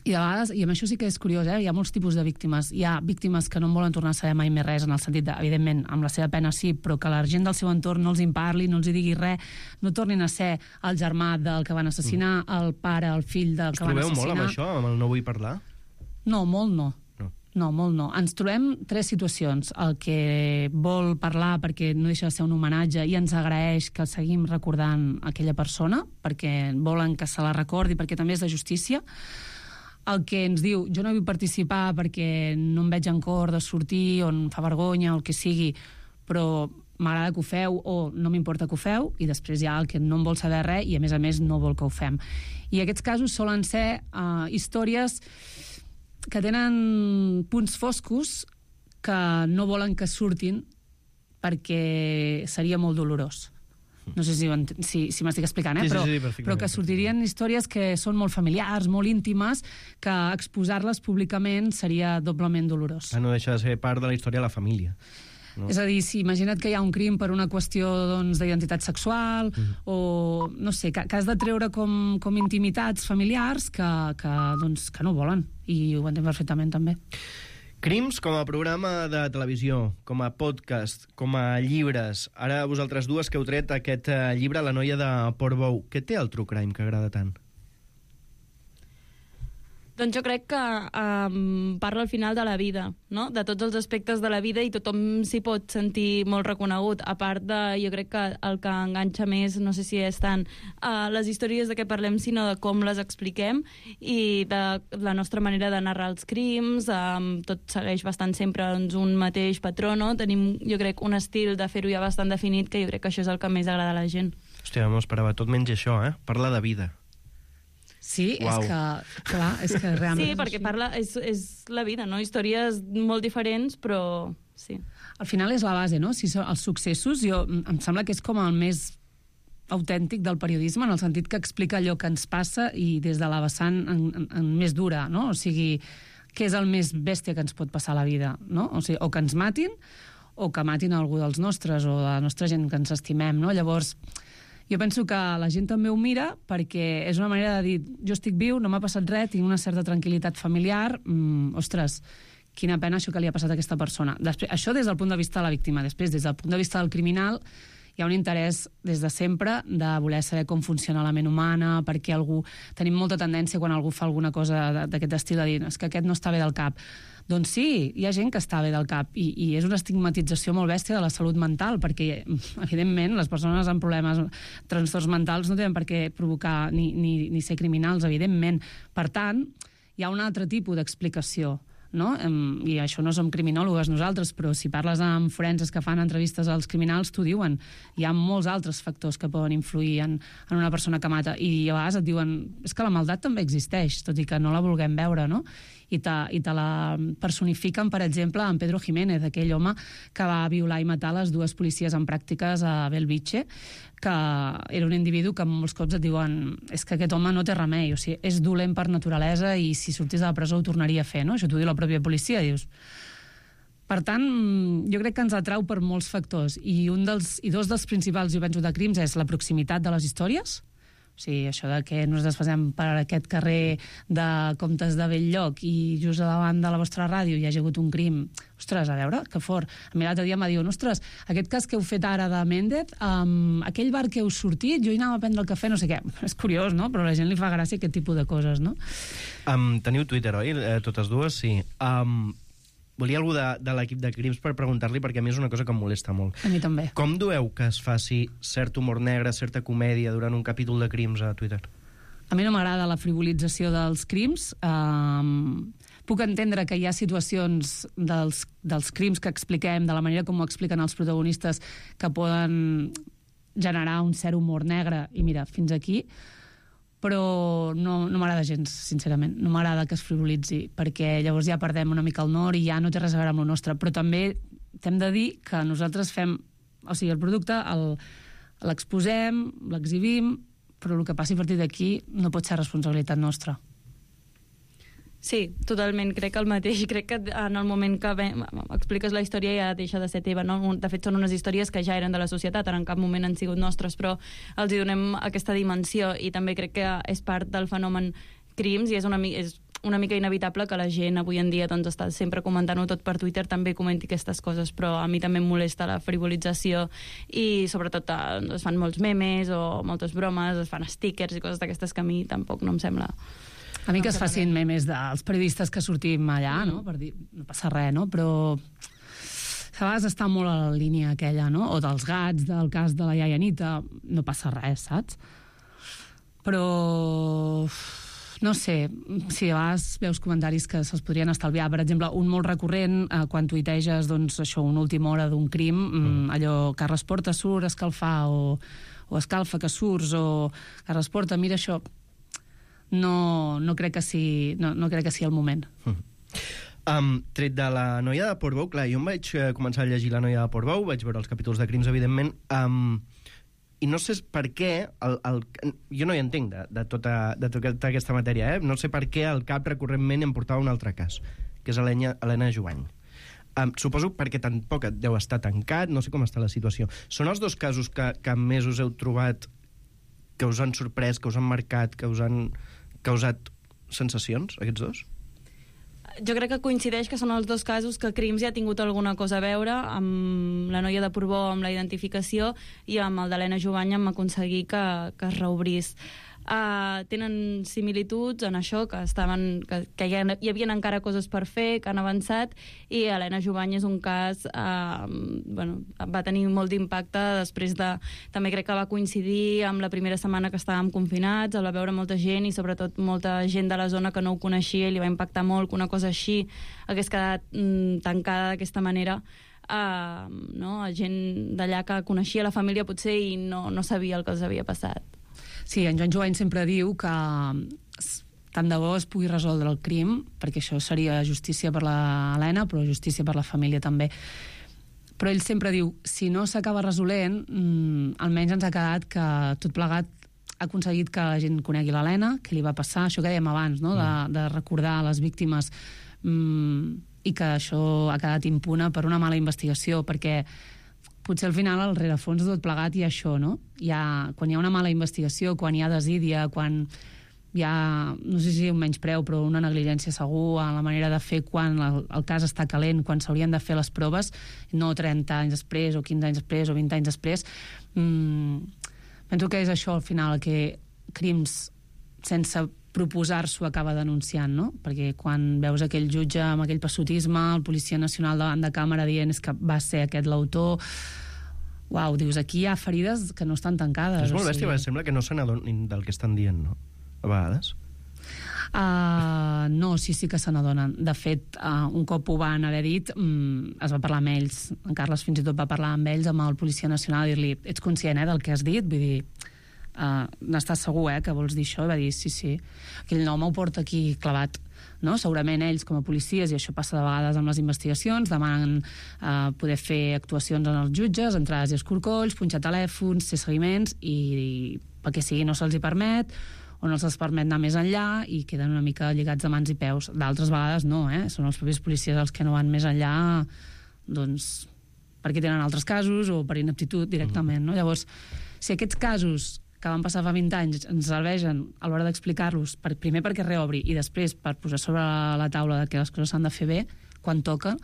I de vegades, i amb això sí que és curiós, eh? Hi ha molts tipus de víctimes. Hi ha víctimes que no en volen tornar a saber mai més res, en el sentit de, evidentment, amb la seva pena sí, però que la gent del seu entorn no els en parli, no els hi digui res, no tornin a ser el germà del que van assassinar, el pare, el fill del que van assassinar. Us trobeu molt amb això, amb el no vull parlar? No, molt no. No. No, molt no. Ens trobem tres situacions. El que vol parlar perquè no deixa de ser un homenatge i ens agraeix que seguim recordant aquella persona, perquè volen que se la recordi, perquè també és de justícia. El que ens diu, jo no vull participar perquè no em veig en cor de sortir o em fa vergonya o el que sigui, però m'agrada que ho feu o no m'importa que ho feu, i després hi ha el que no en vol saber res i a més a més no vol que ho fem. I aquests casos solen ser uh, històries que tenen punts foscos que no volen que surtin perquè seria molt dolorós. No sé si, si, si m'estic explicant, eh? Sí, però, sí, sí, però que sortirien històries que són molt familiars, molt íntimes, que exposar-les públicament seria doblement dolorós. Ah, no deixa de ser part de la història de la família. No? És a dir, si imagina't que hi ha un crim per una qüestió doncs, d'identitat sexual mm. o, no sé, que, que has de treure com, com intimitats familiars que, que, doncs, que no volen, i ho entenc perfectament també. Crims com a programa de televisió, com a podcast, com a llibres. Ara vosaltres dues que heu tret aquest uh, llibre, La noia de Portbou. Què té el true crime que agrada tant? Doncs jo crec que um, parla al final de la vida, no? De tots els aspectes de la vida, i tothom s'hi pot sentir molt reconegut. A part de, jo crec que el que enganxa més, no sé si és tant uh, les històries de què parlem, sinó de com les expliquem i de la nostra manera de narrar els crims. Um, tot segueix bastant sempre doncs, un mateix patró, no? Tenim, jo crec, un estil de fer-ho ja bastant definit, que jo crec que això és el que més agrada a la gent. Hòstia, m'ho esperava tot menys això, eh? Parla de vida. Sí, Uau. és que, clar, és que realment... Sí, perquè parla, és, és la vida, no? Històries molt diferents, però sí. Al final és la base, no? Si són els successos, jo, em sembla que és com el més autèntic del periodisme, en el sentit que explica allò que ens passa i des de la vessant en, en, en més dura, no? O sigui, què és el més bèstia que ens pot passar a la vida, no? O sigui, o que ens matin, o que matin algú dels nostres, o de la nostra gent que ens estimem, no? Llavors, jo penso que la gent també ho mira perquè és una manera de dir, jo estic viu, no m'ha passat res, tinc una certa tranquil·litat familiar, mm, ostres, quina pena això que li ha passat a aquesta persona. Després, això des del punt de vista de la víctima. Després, des del punt de vista del criminal, hi ha un interès des de sempre de voler saber com funciona la ment humana, perquè algú... Tenim molta tendència quan algú fa alguna cosa d'aquest estil de dir és que aquest no està bé del cap. Doncs sí, hi ha gent que està bé del cap i, i és una estigmatització molt bèstia de la salut mental, perquè, evidentment, les persones amb problemes, trastorns mentals no tenen per què provocar ni, ni, ni ser criminals, evidentment. Per tant, hi ha un altre tipus d'explicació, no? I això no som criminòlogues nosaltres, però si parles amb forenses que fan entrevistes als criminals, t'ho diuen. Hi ha molts altres factors que poden influir en, en una persona que mata, i a vegades et diuen és que la maldat també existeix, tot i que no la vulguem veure, no? I te, i te la personifiquen, per exemple, en Pedro Jiménez, aquell home que va violar i matar les dues policies en pràctiques a Belviche, que era un individu que molts cops et diuen és que aquest home no té remei, o sigui, és dolent per naturalesa i si sortís de la presó ho tornaria a fer, no? Això t'ho diu la pròpia policia, dius... Per tant, jo crec que ens atrau per molts factors, i un dels i dos dels principals, jo penso, de crims és la proximitat de les històries. O sigui, això de que nos desfasem per aquest carrer de Comtes de Bell-lloc i just davant de la vostra ràdio hi hagi hagut un crim. Ostres, a veure, que fort. A mi l'altre dia em va dir, ostres, aquest cas que heu fet ara de Méndez, um, aquell bar que heu sortit, jo hi anava a prendre el cafè, no sé què. És curiós, no? Però a la gent li fa gràcia aquest tipus de coses, no? Um, teniu Twitter, oi? Eh, totes dues, sí. Um, volia algú de, de l'equip de crims per preguntar-li, perquè a mi és una cosa que em molesta molt. A mi també. Com dueu que es faci cert humor negre, certa comèdia durant un capítol de crims a Twitter? A mi no m'agrada la frivolització dels crims. Um, puc entendre que hi ha situacions dels, dels crims que expliquem, de la manera com ho expliquen els protagonistes, que poden generar un cert humor negre, i mira, fins aquí, però no, no m'agrada gens, sincerament. No m'agrada que es frivolitzi, perquè llavors ja perdem una mica el nord i ja no té res a veure amb el nostre. Però també t'hem de dir que nosaltres fem... O sigui, el producte l'exposem, l'exhibim, però el que passi a partir d'aquí no pot ser responsabilitat nostra. Sí, totalment, crec el mateix. Crec que en el moment que ve, expliques la història ja deixa de ser teva, no? De fet, són unes històries que ja eren de la societat, en cap moment han sigut nostres, però els hi donem aquesta dimensió, i també crec que és part del fenomen crims, i és una, és una mica inevitable que la gent avui en dia doncs, està sempre comentant-ho tot per Twitter, també comenti aquestes coses, però a mi també em molesta la frivolització, i sobretot es fan molts memes o moltes bromes, es fan stickers i coses d'aquestes que a mi tampoc no em sembla... A mi que es facin memes dels periodistes que sortim allà, no? Per dir, no passa res, no? Però a vegades està molt a la línia aquella, no? O dels gats, del cas de la iaia Anita, no passa res, saps? Però... no sé, si a vegades veus comentaris que se'ls podrien estalviar. Per exemple, un molt recurrent, eh, quan tuiteges doncs, això, una última hora d'un crim, mm. allò, Carles Porta surt a escalfar, o, o escalfa que surts, o Carles Porta, mira això... No, no, crec que sigui, no, no crec que sigui el moment. Mm. Um, tret de la noia de Portbou, clar, jo em vaig començar a llegir la noia de Portbou, vaig veure els capítols de crims, evidentment, um, i no sé per què, el, el, jo no hi entenc de, de, tota, de tota aquesta matèria, eh? No sé per què el cap recurrentment em portava un altre cas, que és Helena, Helena Jovany. Um, suposo perquè tampoc et deu estar tancat, no sé com està la situació. Són els dos casos que, que més us heu trobat que us han sorprès, que us han marcat, que us han causat sensacions, aquests dos? Jo crec que coincideix que són els dos casos que Crims ja ha tingut alguna cosa a veure, amb la noia de Portbou, amb la identificació, i amb el d'Helena Jovany amb aconseguir que, que es reobrís. Uh, tenen similituds en això, que estaven que, que hi, ha, hi havia encara coses per fer, que han avançat, i Helena Jovany és un cas uh, bueno, va tenir molt d'impacte després de... També crec que va coincidir amb la primera setmana que estàvem confinats, el va veure molta gent, i sobretot molta gent de la zona que no ho coneixia, i li va impactar molt que una cosa així hagués quedat mm, tancada d'aquesta manera. Uh, no? Gent d'allà que coneixia la família potser i no, no sabia el que els havia passat. Sí, en Joan Jovany sempre diu que tant de bo es pugui resoldre el crim, perquè això seria justícia per l'Helena, però justícia per la família també. Però ell sempre diu, si no s'acaba resolent, mmm, almenys ens ha quedat que tot plegat ha aconseguit que la gent conegui l'Helena, què li va passar, això que dèiem abans, no? de, de recordar les víctimes mm, i que això ha quedat impune per una mala investigació, perquè potser al final al rerefons de tot plegat hi ha això, no? Hi ha, quan hi ha una mala investigació, quan hi ha desídia, quan hi ha, no sé si un menyspreu, però una negligència segur en la manera de fer quan el, el cas està calent, quan s'haurien de fer les proves, no trenta anys després, o quinze anys després, o vint anys després. Mm, penso que és això, al final, que crims sense proposar-s'ho acaba denunciant, no? Perquè quan veus aquell jutge amb aquell passotisme, el Policia Nacional davant de càmera dient és que va ser aquest l'autor, uau, dius, aquí hi ha ferides que no estan tancades. És molt o bèstia, sigui... sembla que no se n'adonin del que estan dient, no? A vegades. Uh, no, sí, sí que se n'adonen. De fet, uh, un cop ho van haver dit, um, es va parlar amb ells. En Carles fins i tot va parlar amb ells, amb el Policia Nacional, i dir-li, ets conscient eh, del que has dit? Vull dir, uh, n'estàs segur eh, que vols dir això? I va dir, sí, sí. Aquell home ho porta aquí clavat. No? Segurament ells, com a policies, i això passa de vegades amb les investigacions, demanen uh, poder fer actuacions en els jutges, entrades i escorcolls, punxar telèfons, fer seguiments, i, i pel que sigui no se'ls hi permet, o no se'ls permet anar més enllà i queden una mica lligats de mans i peus. D'altres vegades no, eh? Són els propis policies els que no van més enllà, doncs, perquè tenen altres casos o per ineptitud directament, no? Llavors, si aquests casos que van passar fa vint anys ens serveixen a l'hora d'explicar-los, per, primer perquè reobri i després per posar sobre la taula que les coses s'han de fer bé quan toca,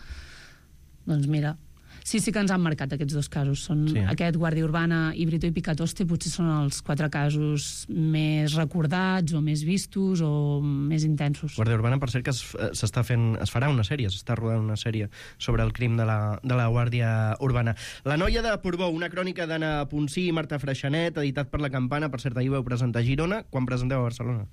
doncs mira, sí, sí que ens han marcat aquests dos casos. Són sí, eh? Aquest Guàrdia Urbana i Brito i Picatoste potser són els quatre casos més recordats o més vistos o més intensos. Guàrdia Urbana, per cert, que s'està fent, es farà una sèrie, s'està rodant una sèrie sobre el crim de la, de la Guàrdia Urbana. La noia de Portbou, una crònica d'Anna Ponsí i Marta Freixanet, editat per La Campana. Per cert, ahir vau presentar a Girona. Quan presenteu a Barcelona?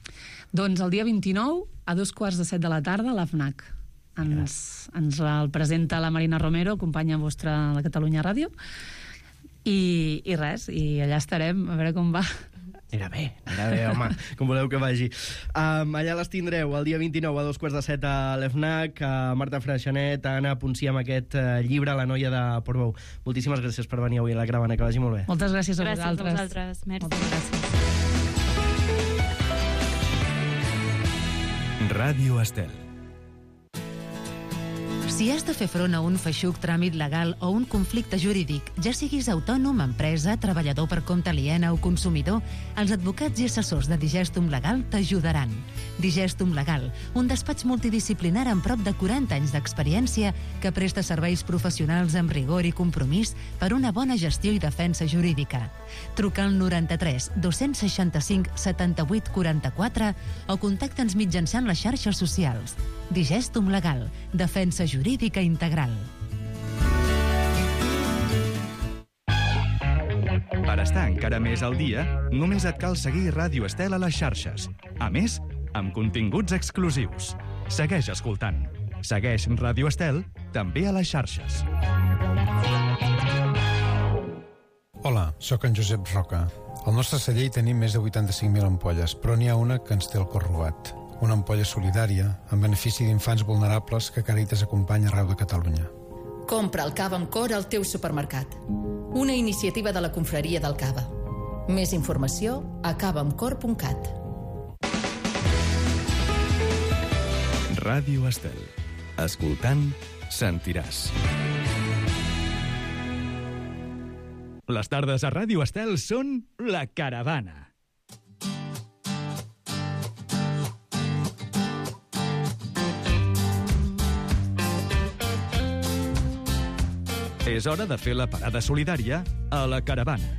Doncs el dia vint-i-nou, a dos quarts de set de la tarda, a l'A F N A C. Ens, ens el presenta la Marina Romero, companya vostra de la Catalunya Ràdio, i, i res, i allà estarem a veure com va. Anirà bé, anirà bé, home, com voleu que vagi. Um, allà les tindreu el dia vint-i-nou a dos quarts de set a l'A F N A C, a Marta Freixanet, a Anna Ponsí amb aquest uh, llibre, La noia de Portbou. Moltíssimes gràcies per venir avui a la Caravana, que vagi molt bé. Moltes gràcies a gràcies vosaltres. Gràcies a vosaltres, merci. Moltes gràcies. Ràdio Estel. Si has de fer front a un feixuc tràmit legal o un conflicte jurídic, ja siguis autònom, empresa, treballador per compte aliena o consumidor, els advocats i assessors de Digestum Legal t'ajudaran. Digestum Legal, un despatx multidisciplinar amb prop de quaranta anys d'experiència que presta serveis professionals amb rigor i compromís per una bona gestió i defensa jurídica. Truca al noranta-tres dos-cents seixanta-cinc setanta-vuit quaranta-quatre o contacta'ns mitjançant les xarxes socials. Digestum Legal, defensa jurídica integral. Per estar encara més al dia, només et cal seguir Ràdio Estel a les xarxes. A més, amb continguts exclusius. Segueix escoltant. Segueix Ràdio Estel també a les xarxes. Hola, sóc en Josep Roca. Al nostre celler hi tenim més de vuitanta-cinc mil ampolles, però n'hi ha una que ens té el cor robat. Una ampolla solidària en benefici d'infants vulnerables que Càritas acompanya arreu de Catalunya. Compra el cava amb cor al teu supermercat. Una iniciativa de la Confraria del Cava. Més informació a cava amb cor punt cat. Ràdio Estel. Escoltant, sentiràs. Les tardes a Ràdio Estel són La Caravana. És hora de fer la parada solidària a La Caravana.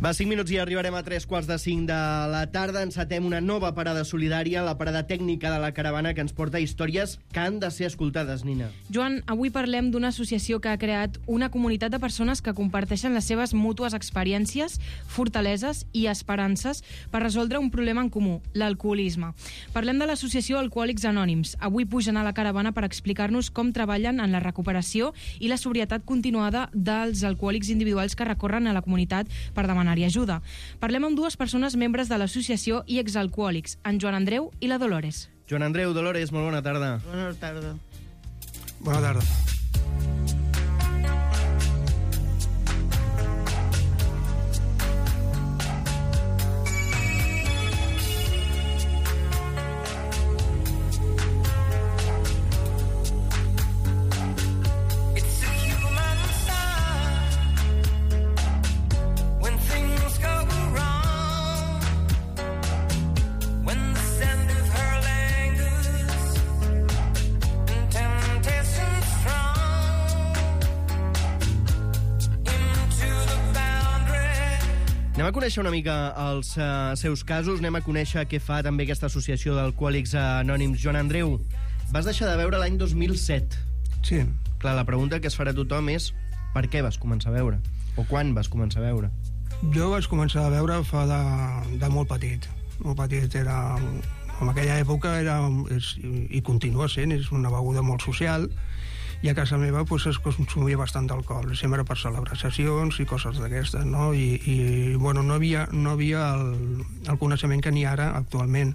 Va, cinc minuts i arribarem a tres quarts de cinc de la tarda. Encetem una nova parada solidària, la parada tècnica de La Caravana, que ens porta històries que han de ser escoltades, Nina. Joan, avui parlem d'una associació que ha creat una comunitat de persones que comparteixen les seves mútues experiències, fortaleses i esperances per resoldre un problema en comú, l'alcoholisme. Parlem de l'associació Alcohòlics Anònims. Avui pugen a La Caravana per explicar-nos com treballen en la recuperació i la sobrietat continuada dels alcohòlics individuals que recorren a la comunitat per demanar i ajuda. Parlem amb dues persones membres de l'associació i exalcohòlics, en Joan Andreu i la Dolores. Joan Andreu, Dolores, molt bona tarda. Bona tarda. Bona tarda. Anem a conèixer una mica els uh, seus casos, anem a conèixer què fa també aquesta associació d'alcohòlics anònims. Joan Andreu, vas deixar de beure l'any dos mil set. Sí. Clar, la pregunta que es farà a tothom és per què vas començar a beure? O quan vas començar a beure? Jo vaig començar a beure fa de, de molt petit. Molt petit era... En aquella època era, és, i continua sent, és una beguda molt social, i a casa meva pues, es consumia bastant d'alcohol, sempre per celebracions i coses d'aquestes, no? I, i bueno, no havia, no havia el, el coneixement que n'hi ha ara actualment,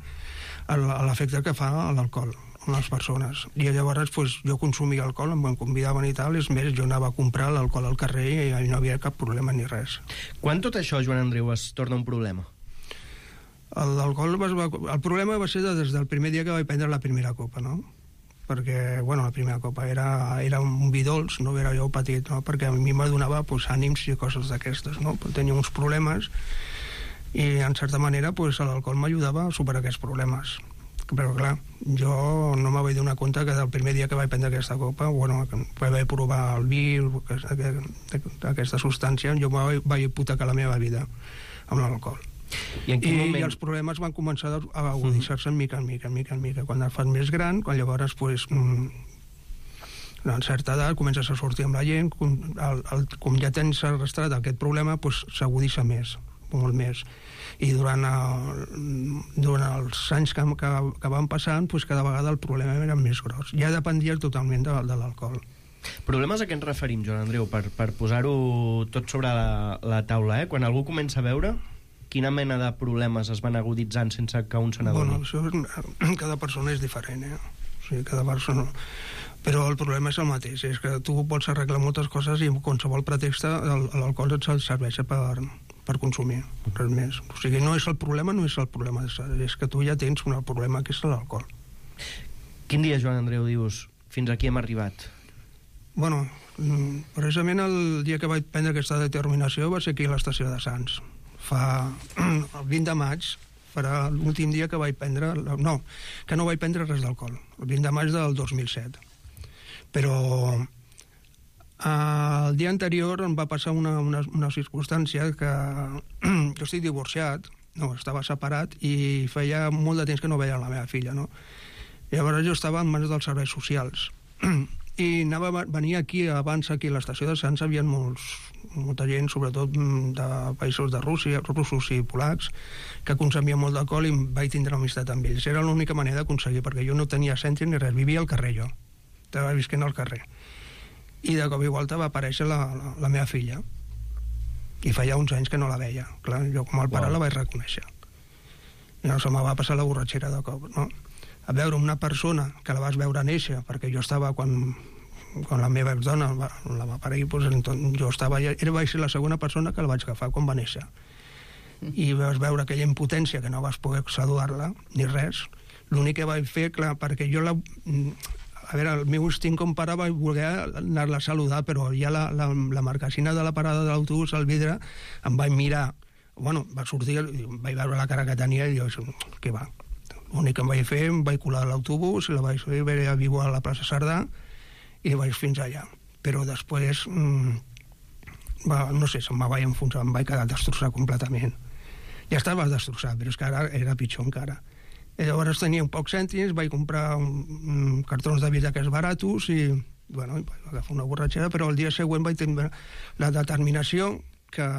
l'efecte que fa l'alcohol en les persones. I llavors pues, jo consumia alcohol, em convidaven i tal, és més, jo anava a comprar l'alcohol al carrer i no havia cap problema ni res. Quan tot això, Joan Andreu, es torna un problema? L'alcohol va, el problema va ser des del primer dia que vaig prendre la primera copa, no? Perquè, bueno, la primera copa era, era un vi dolç, no era jo petit, no? Perquè a mi m'adonava pues, ànims i coses d'aquestes, no? Tenia uns problemes i, en certa manera, pues, l'alcohol m'ajudava a superar aquests problemes. Però, clar, jo no me vaig donar compte que del primer dia que vaig prendre aquesta copa, bueno, vaig provar el vi, aquesta substància, jo vaig, vaig hipotecar la meva vida amb l'alcohol. I, I, moment... I els problemes van començar a agudissar-se en mica en mica, en mica en mica. Quan et fas més gran, quan llavors, pues, mm, en certa edat, comences a sortir amb la gent, com, el, el, com ja tens arrastrat aquest problema, pues, s'agudissa més, molt més. I durant, el, durant els anys que, que, que van passant, pues, cada vegada el problema era més gros. Ja dependia totalment de, de l'alcohol. Problemes a què ens referim, Joan Andreu, per, per posar-ho tot sobre la, la taula, eh? Quan algú comença a beure, quina mena de problemes es van aguditzant sense que un se n'adoni? Bueno, això, cada persona és diferent, eh? O sigui, cada persona... Però el problema és el mateix, és que tu pots arreglar moltes coses i amb qualsevol pretext l'alcohol et serveix per, per consumir, res més. O sigui, no és el problema, no és el problema, és que tu ja tens un problema que és l'alcohol. Quin dia, Joan Andreu, dius, fins aquí hem arribat? Bueno, precisament el dia que vaig prendre aquesta determinació va ser aquí a l'estació de Sants. Fa el vint de maig, farà l'últim dia que vaig prendre... No, que no vaig prendre res d'alcohol. El vint de maig del dos mil set. Però el dia anterior em va passar una, una, una circumstància que jo estic divorciat, no, estava separat i feia molt de temps que no veia la meva filla, no? Llavors jo estava en mans dels serveis socials. I anava, venia aquí, abans aquí a l'estació de Sants, hi havia molts, molta gent, sobretot de països de Rússia, russos i polacs, que consumien molt d'alcohol i vaig tindre amistat amb ells. Era l'única manera d'aconseguir, perquè jo no tenia centre ni res, vivia al carrer jo, estava visquent al carrer. I de cop i volta va aparèixer la, la, la meva filla, i feia uns anys que no la veia. Clar, jo com el pare wow. la vaig reconèixer. I no se me va passar la borratxera de cop, no? A veure una persona que la vas veure néixer, perquè jo estava quan, quan la meva dona va, la va parir, doncs, jo estava, era, vaig ser la segona persona que la vaig agafar quan va néixer. I vas veure aquella impotència que no vas poder saludar-la, ni res. L'únic que vaig fer, clar, perquè jo la... A veure, el meu instint com pare vaig voler anar-la a saludar, però ja la, la, la marquesina de la parada de l'autobús, al vidre, em vaig mirar. Bueno, va sortir, vaig veure la cara que tenia i jo, què va? L'únic que em vaig fer, em vaig colar a l'autobús, la vaig fer a viure a la plaça Cerdà i vaig fins allà. Però després, mmm, va, no sé, se'm vaig enfonsar, em vaig quedar destrossat completament. Ja estava destrossat, però és que ara era pitjor encara. I llavors tenia un pocs cèntims, vaig comprar un, un cartons de vi d'aquests baratos i, bueno, vaig agafar una borratxera, però el dia següent vaig tenir la determinació que,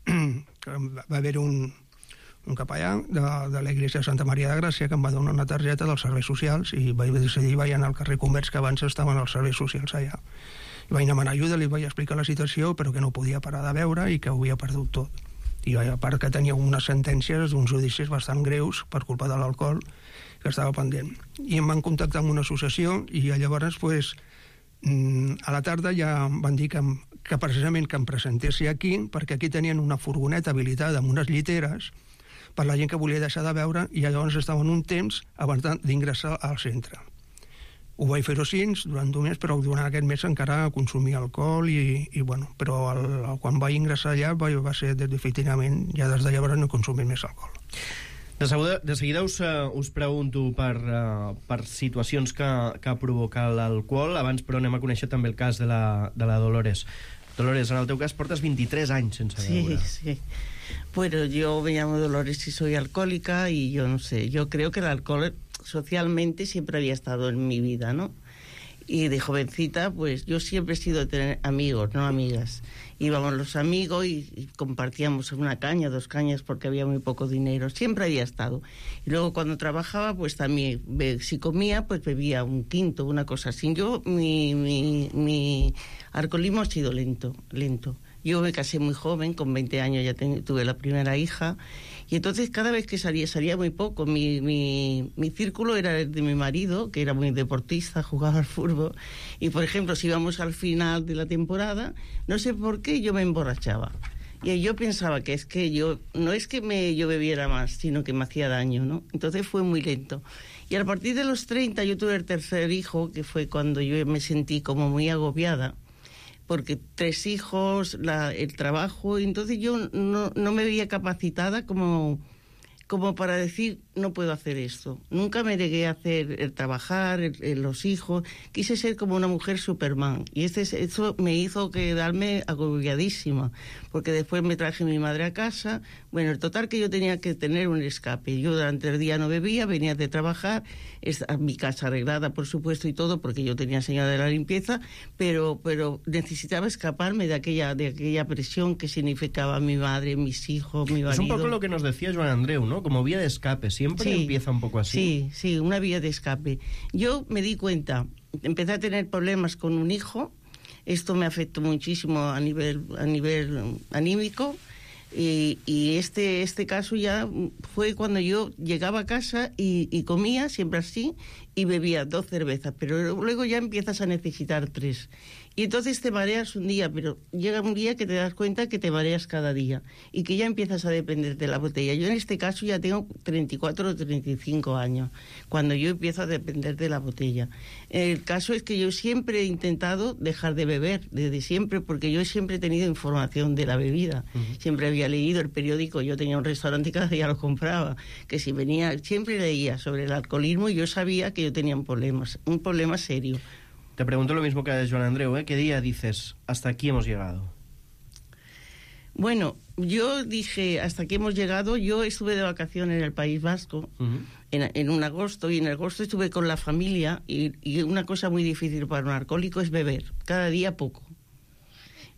que va haver un un capellà de, de l'Església de Santa Maria de Gràcia que em va donar una targeta dels serveis socials i vaig decidir, vaig anar al carrer Comerç, que abans estaven els serveis socials allà. I vaig demanar ajuda, li vaig explicar la situació, però que no podia parar de beure i que ho havia perdut tot. I a part que tenia unes sentències d'uns judicis bastant greus per culpa de l'alcohol que estava pendent. I em van contactar amb una associació i llavors, pues, a la tarda ja em van dir que, que precisament que em presentessi aquí, perquè aquí tenien una furgoneta habilitada amb unes lliteres per la gent que volia deixar de beure i llavors estaven un temps abans d'ingressar al centre. Ho vaig fer-ho així durant un mes, però durant aquest mes encara consumia alcohol i, i bueno, però el, el, quan vaig ingressar allà va, va ser definitivament, ja des de llavors no consumir més alcohol. De seguida, de seguida us, uh, us pregunto per, uh, per situacions que, que provoca l'alcohol. Abans, però, anem a conèixer també el cas de la, de la Dolores. Dolores, en el teu cas portes veintitrés anys sense beure. Sí, sí. Bueno, yo me llamo Dolores y soy alcohólica y yo no sé, yo creo que el alcohol socialmente siempre había estado en mi vida, ¿no? Y de jovencita, pues yo siempre he sido de tener amigos, no amigas. Íbamos los amigos y, y compartíamos una caña, dos cañas, porque había muy poco dinero. Siempre había estado. Y luego cuando trabajaba, pues también, si comía, pues bebía un quinto, una cosa así. Yo, mi, mi, mi alcoholismo ha sido lento, lento. Yo me casé muy joven, con veinte años ya ten, tuve la primera hija, y entonces cada vez que salía, salía muy poco. Mi, mi, mi círculo era el de mi marido, que era muy deportista, jugaba al fútbol, y por ejemplo, si íbamos al final de la temporada, no sé por qué yo me emborrachaba. Y yo pensaba que es que yo, no es que me, yo bebiera más, sino que me hacía daño, ¿no? Entonces fue muy lento. Y a partir de los treinta yo tuve el tercer hijo, que fue cuando yo me sentí como muy agobiada, porque tres hijos, la, el trabajo, y entonces yo no, no me veía capacitada como, como para decir, no puedo hacer esto. Nunca me negué a hacer el trabajar, el, el, los hijos. Quise ser como una mujer Superman. Y este, eso me hizo quedarme agobiadísima, porque después me traje a mi madre a casa. Bueno, el total que yo tenía que tener un escape. Yo durante el día no bebía, venía de trabajar, a mi casa arreglada, por supuesto, y todo, porque yo tenía señora de la limpieza, pero, pero necesitaba escaparme de aquella, de aquella presión que significaba mi madre, mis hijos, mi marido. Es un poco lo que nos decía Joan Andreu, ¿no? Como vía de escape. Siempre sí, empieza un poco así. Sí, sí, una vía de escape. Yo me di cuenta, empecé a tener problemas con un hijo, esto me afectó muchísimo a nivel, a nivel anímico, y, y este, este caso ya fue cuando yo llegaba a casa y, y comía, siempre así, y bebía dos cervezas, pero luego ya empiezas a necesitar tres. Y entonces te mareas un día, pero llega un día que te das cuenta que te mareas cada día y que ya empiezas a depender de la botella. Yo en este caso ya tengo treinta y cuatro o treinta y cinco años, cuando yo empiezo a depender de la botella. El caso es que yo siempre he intentado dejar de beber, desde siempre, porque yo siempre he tenido información de la bebida. Uh-huh. Siempre había leído el periódico, yo tenía un restaurante y cada día lo compraba, que si venía, siempre leía sobre el alcoholismo y yo sabía que yo tenía un problema, un problema serio. Te pregunto lo mismo que a Joan Andreu, ¿eh? ¿Qué día dices, hasta aquí hemos llegado? Bueno, yo dije, hasta aquí hemos llegado. Yo estuve de vacaciones en el País Vasco, uh-huh. en, en un agosto, y en agosto estuve con la familia, y, y una cosa muy difícil para un alcohólico es beber, cada día poco.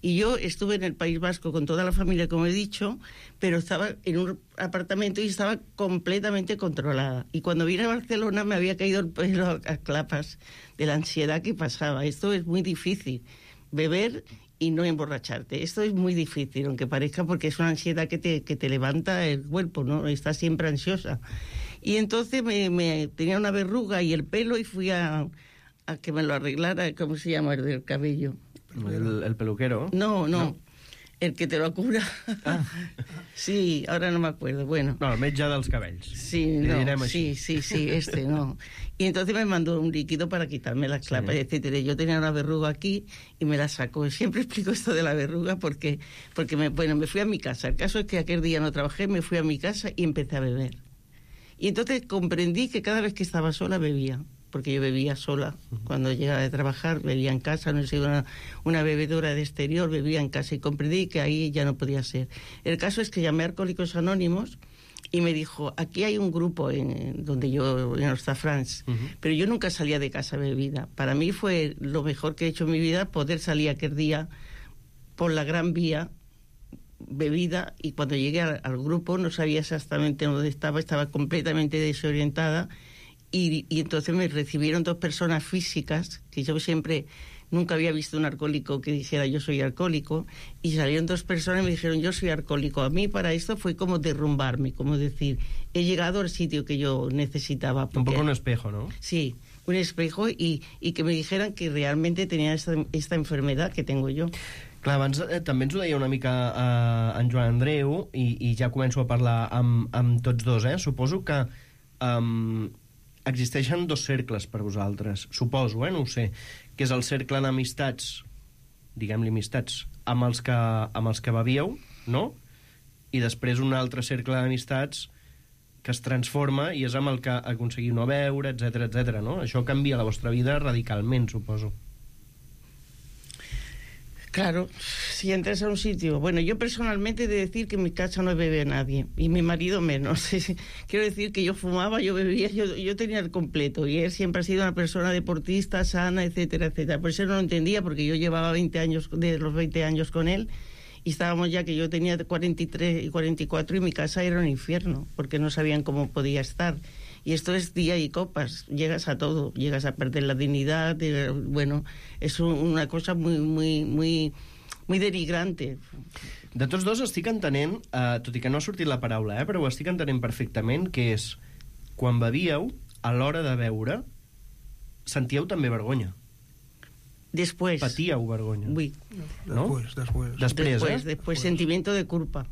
Y yo estuve en el País Vasco con toda la familia, como he dicho, pero estaba en un apartamento y estaba completamente controlada. Y cuando vine a Barcelona me había caído el pelo a clapas de la ansiedad que pasaba. Esto es muy difícil, beber y no emborracharte. Esto es muy difícil, aunque parezca, porque es una ansiedad que te, que te levanta el cuerpo, ¿no? Estás siempre ansiosa. Y entonces me, me tenía una verruga y el pelo y fui a, a que me lo arreglara, ¿cómo se llama? El del cabello. El, el peluquero. No, no, no, el que te lo cura. Ah. Sí, ahora no me acuerdo. Bueno. No, el metge dels cabells. Sí, no, sí, sí, sí, este no. Y entonces me mandó un líquido para quitarme las clapas, sí, etcétera. Yo tenía una verruga aquí y me la sacó. Siempre explico esto de la verruga porque, porque me, bueno, me fui a mi casa. El caso es que aquel día no trabajé, me fui a mi casa y empecé a beber. Y entonces comprendí que cada vez que estaba sola bebía, porque yo bebía sola. Cuando llegaba de trabajar, bebía en casa, no soy una, una bebedora de exterior, bebía en casa, y comprendí que ahí ya no podía ser. El caso es que llamé a Alcohólicos Anónimos y me dijo, aquí hay un grupo en, donde yo, en Ostafrancs, uh-huh. pero yo nunca salía de casa bebida. Para mí fue lo mejor que he hecho en mi vida, poder salir aquel día por la Gran Vía, bebida, y cuando llegué al, al grupo no sabía exactamente dónde estaba, estaba completamente desorientada. Y, y entonces me recibieron dos personas físicas, que yo siempre, nunca había visto un alcohólico que dijera yo soy alcohólico, y salieron dos personas y me dijeron yo soy alcohólico. A mí para esto fue como derrumbarme, como decir, he llegado al sitio que yo necesitaba. Porque, un poco un espejo, ¿no? Sí, un espejo, y, y que me dijeran que realmente tenía esta, esta enfermedad que tengo yo. Clar, abans eh, també ens ho deia una mica eh, en Joan Andreu, i, i ja començo a parlar amb, amb tots dos, eh? Suposo que um, existeixen dos cercles per vosaltres, suposo, eh? No ho sé, que és el cercle d'amistats, diguem-li amistats, amb els que, amb els que bevíeu, no? I després un altre cercle d'amistats que es transforma i és amb el que aconseguiu no beure, etcètera, etcètera, no? Això canvia la vostra vida radicalment, suposo. Claro, si entras a un sitio... Bueno, yo personalmente he de decir que en mi casa no bebe nadie, y mi marido menos. Quiero decir que yo fumaba, yo bebía, yo, yo tenía el completo, y él siempre ha sido una persona deportista, sana, etcétera, etcétera. Por eso no lo entendía, porque yo llevaba veinte años, de los veinte años con él, y estábamos ya que yo tenía cuarenta y tres y cuarenta y cuatro, y mi casa era un infierno, porque no sabían cómo podía estar. Y esto es día y copas, llegas a todo, llegas a perder la dignidad, de, bueno, és una cosa muy, muy, muy, muy denigrante. De tots dos estic entenent, eh, tot i que no ha sortit la paraula, eh, però ho estic entenent perfectament, que és, quan bevíeu, a l'hora de beure, sentíeu també vergonya. Después. Patíeu vergonya. Oui. ¿No? Después, después. Després, después, eh? después, sentimiento de culpa.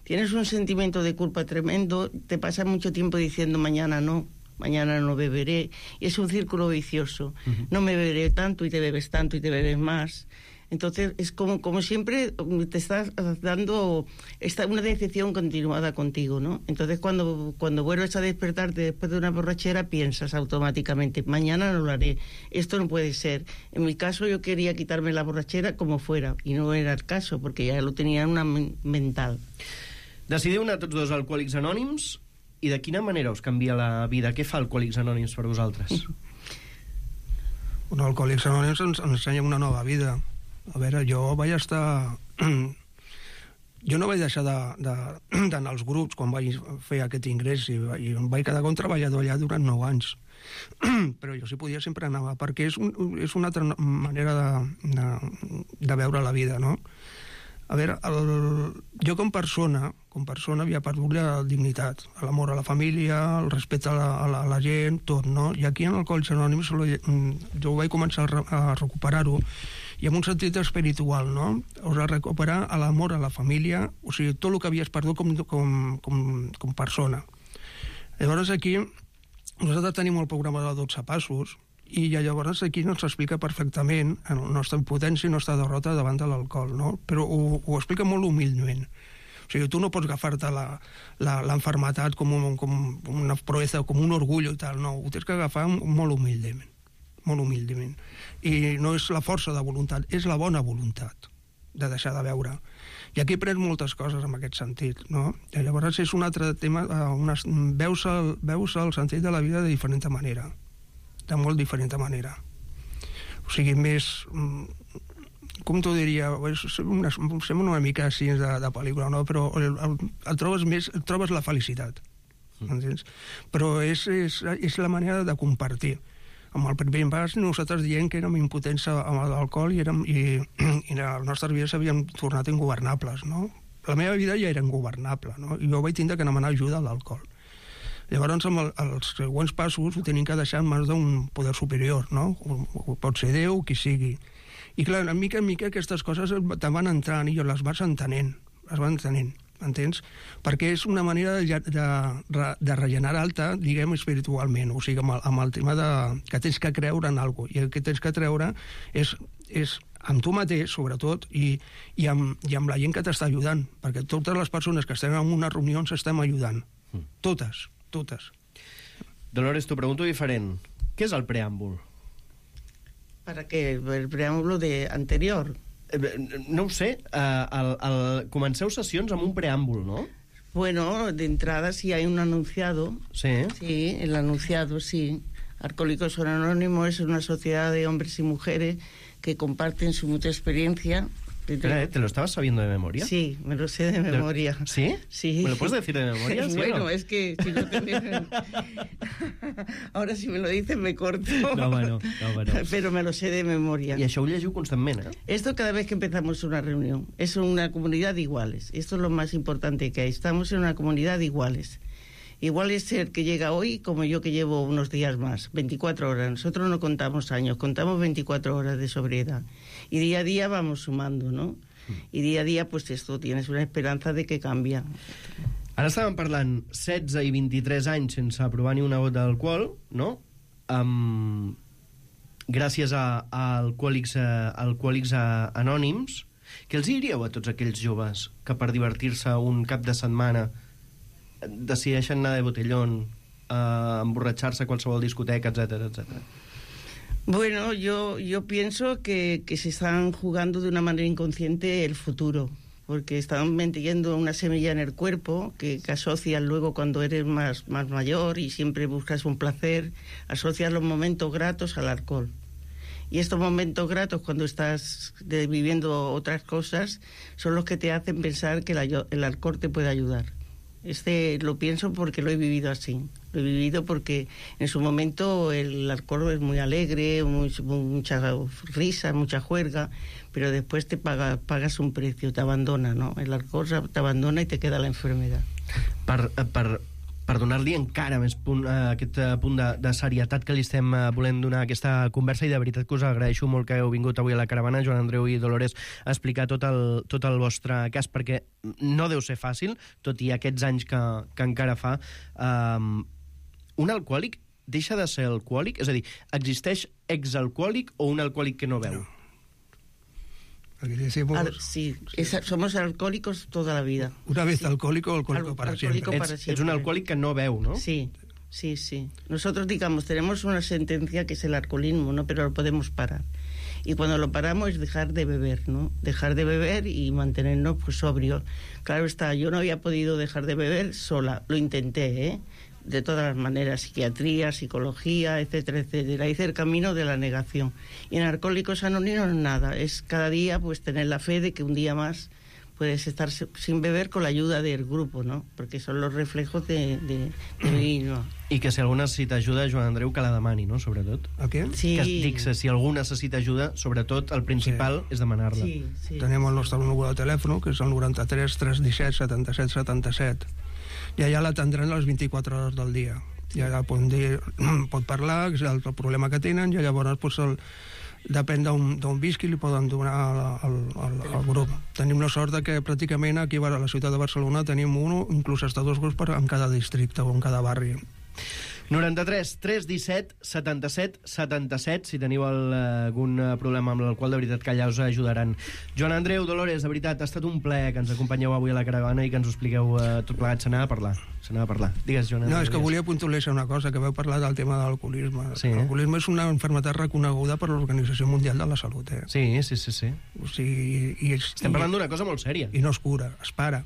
Tienes un sentimiento de culpa tremendo, te pasas mucho tiempo diciendo mañana no, mañana no beberé, y es un círculo vicioso. Uh-huh. No me beberé tanto y te bebes tanto y te bebes más. Entonces es como, como siempre te estás dando esta, una decepción continuada contigo, ¿no? Entonces cuando, cuando vuelves a despertarte después de una borrachera piensas automáticamente, mañana no lo haré, esto no puede ser. En mi caso yo quería quitarme la borrachera como fuera, y no era el caso, porque ya lo tenía una mental. Decidiu anar tots dos a Alcohòlics Anònims, i de quina manera us canvia la vida? Què fa Alcohòlics Anònims per vosaltres? Bueno, Alcohòlics Anònims ens ensenya una nova vida. A veure, jo vaig estar... Jo no vaig deixar d'anar als grups quan vaig fer aquest ingrés, i em vaig quedar com treballador allà durant nou anys. Però jo si podia sempre anava, perquè és, un, és una altra manera de, de, de veure la vida, no? A veure, el, jo com persona, com persona havia perdut la dignitat, l'amor a la família, el respecte a la, a la, a la gent, tot, no? I aquí en Alcohòlics Anònims jo vaig començar a recuperar-ho, i en un sentit espiritual, no? O sigui, recuperar l'amor a la família, o sigui, tot el que havies perdut com, com, com, com persona. Llavors aquí, nosaltres tenim el programa de dotze passos, i llavors aquí no s'explica perfectament la nostra impotència i la nostra derrota davant de l'alcohol, no? Però ho, ho explica molt humilment. O sigui, tu no pots agafar-te l'enfermetat com, un, com una proeza, com un orgull i tal, no, ho tens que agafar molt humilment, molt humilment. I no és la força de voluntat, és la bona voluntat de deixar de beure. I aquí aprens moltes coses en aquest sentit, no? I llavors és un altre tema, una, veus, el, veus el sentit de la vida de diferent manera, de molt diferent manera. O sigui, més... Com t'ho diria? Una, sembla una mica així de, de pel·lícula, no? Però el, el, el trobes més, el trobes la felicitat, entens? Però és, és, és la manera de compartir. Amb el primer pas nosaltres dient que érem impotents amb l'alcohol i, érem, i, i les nostres vides s'havien tornat ingovernables, no? La meva vida ja era ingovernable, no? I jo vaig tindre que demanar ajuda a l'alcohol. Llavors, amb el, els següents passos ho tenim que deixar en mans d'un poder superior, no? O, o pot ser Déu, qui sigui. I clar, a mica en mica aquestes coses te van entrant i jo les vas entenent, les vas entenent, entens? Perquè és una manera de, de, de regenerar-te, diguem, espiritualment, o sigui, amb el, amb el tema de, que tens que creure en alguna cosa, i el que tens que treure és, és amb tu mateix, sobretot, i, i, amb, i amb la gent que t'està ajudant, perquè totes les persones que estem en una reunió ens estem ajudant, totes, totes. Dolores, t'ho pregunto diferent. Què és el preàmbul? ¿Para qué? El preàmbulo de anterior. No ho sé. Uh, el, el, comenceu sessions amb un preàmbul, ¿no? Bueno, de entrada sí hay un anunciado. Sí. Sí, el anunciado, sí. Alcohólicos Anónimos es una sociedad de hombres y mujeres que comparten su mutua experiencia. Espera, ¿eh? ¿Te lo estabas sabiendo de memoria? Sí, me lo sé de memoria. ¿Sí? Sí. ¿Me lo puedes decir de memoria? ¿Sí bueno, no? Es que si no te dejan... Ahora si me lo dices me corto. No, bueno, no, bueno. Pero me lo sé de memoria. I això ho llegiu constantment, eh? Esto cada vez que empezamos una reunión. Es una comunidad de iguales. Esto es lo más importante que hay. Estamos en una comunidad de iguales. Igual es el que llega hoy como yo que llevo unos días más, veinticuatro horas. Nosotros no contamos años, contamos veinticuatro horas de sobriedad. Y día a día vamos sumando, ¿no? Y día a día, pues esto, tienes una esperanza de que cambia. Ara estàvem parlant setze i vint-i-tres anys sense provar ni una gota d'alcohol, no? Um, gràcies a, a Alcohòlics, a Alcohòlics Anònims. Què els diríeu a tots aquells joves que per divertir-se un cap de setmana decideixen anar de botellón, a emborratxar-se a qualsevol discoteca, etcètera, etcètera? Bueno, yo, yo pienso que, que se están jugando de una manera inconsciente el futuro, porque están metiendo una semilla en el cuerpo que, que asocias luego cuando eres más, más mayor y siempre buscas un placer, asocias los momentos gratos al alcohol. Y estos momentos gratos, cuando estás de, viviendo otras cosas, son los que te hacen pensar que la, el alcohol te puede ayudar. Este lo pienso porque lo he vivido así. Lo he vivido porque en su momento el alcohol es muy alegre, muy, mucha risa, mucha juerga, pero después te paga, pagas un precio, te abandona, ¿no? El alcohol te abandona y te queda la enfermedad. Per, per, per donar-li encara més punt, uh, aquest uh, punt de, de serietat que li estem uh, volent donar a aquesta conversa, i de veritat que us agraeixo molt que heu vingut avui a la caravana, Joan Andreu i Dolores, a explicar tot el, tot el vostre cas, perquè no deu ser fàcil, tot i aquests anys que, que encara fa. Um, un alcohòlic deixa de ser alcohòlic? És a dir, existeix exalcohòlic o un alcohòlic que no beu? Decimos, Al, sí, es, somos alcohólicos toda la vida. Una vez sí. alcohólico, alcohólico Al, para alcohólico siempre. Para ets, siempre. ets un alcohòlic que no beu, ¿no? Sí, sí, sí. Nosotros, digamos, tenemos una sentencia que es el alcoholismo, ¿no? Pero lo podemos parar. Y cuando lo paramos es dejar de beber, ¿no? Dejar de beber y mantenernos pues sobrios. Claro está, yo no había podido dejar de beber sola. Lo intenté, ¿eh? De todas las maneras, psiquiatría, psicología, etcétera, etcétera. Hice el camino de la negación. Y en Alcohólicos Anónimos nada, es cada día pues tener la fe de que un día más puedes estar sin beber con la ayuda del grupo, ¿no? Porque son los reflejos de, de, de mi misma. I que si algú necessita ajuda, Joan Andreu, que la demani, no?, sobretot. ¿A qué? Sí. Que dic, si algú necessita ajuda, sobretot el principal sí. és demanar-la. Sí, sí. Tenim el nostre número de telèfon, que és el noranta-tres tres disset setanta-set setanta-set. I allà l'atendran les vint-i-quatre hores del dia. I allà pot, dir, pot parlar, que és el, el problema que tenen, i llavors pues, el, depèn d'on visqui, li poden donar al, al, al, al grup. Tenim la sort de que pràcticament aquí a la ciutat de Barcelona tenim un, inclús hasta dos grups per, en cada districte o en cada barri. noranta-tres tres disset setanta-set setanta-set, si teniu el, algun problema amb l'alcohol, de veritat que allà us ajudaran. Joan Andreu, Dolores, de veritat, ha estat un plaer que ens acompanyeu avui a la caravana i que ens ho expliqueu uh, tot plegat. Se n'ha de parlar, se n'ha de parlar. Digues, Joan Andreu. No, és que volia puntualitzar una cosa, que vau parlar del tema de l'alcoholisme. Sí, eh? L'alcoholisme és una malaltia reconeguda per l'Organització Mundial de la Salut, eh? Sí, sí, sí, sí. O sigui, i, i, Estem parlant d'una cosa molt sèria. I no es cura, es para.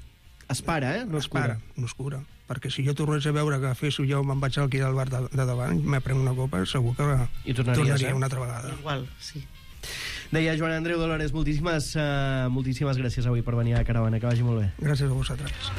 Es para, eh? No es, es para, cura. no es cura. Perquè si jo tornés a veure que fes jo me'n vaig aquí al bar de, de davant, me prenc una copa, segur que I tornaries, tornaria eh? una altra vegada. Igual, sí. Deia Joan Andreu, Dolores, moltíssimes, uh, moltíssimes gràcies avui per venir a la caravana, que vagi molt bé. Gràcies a vosaltres.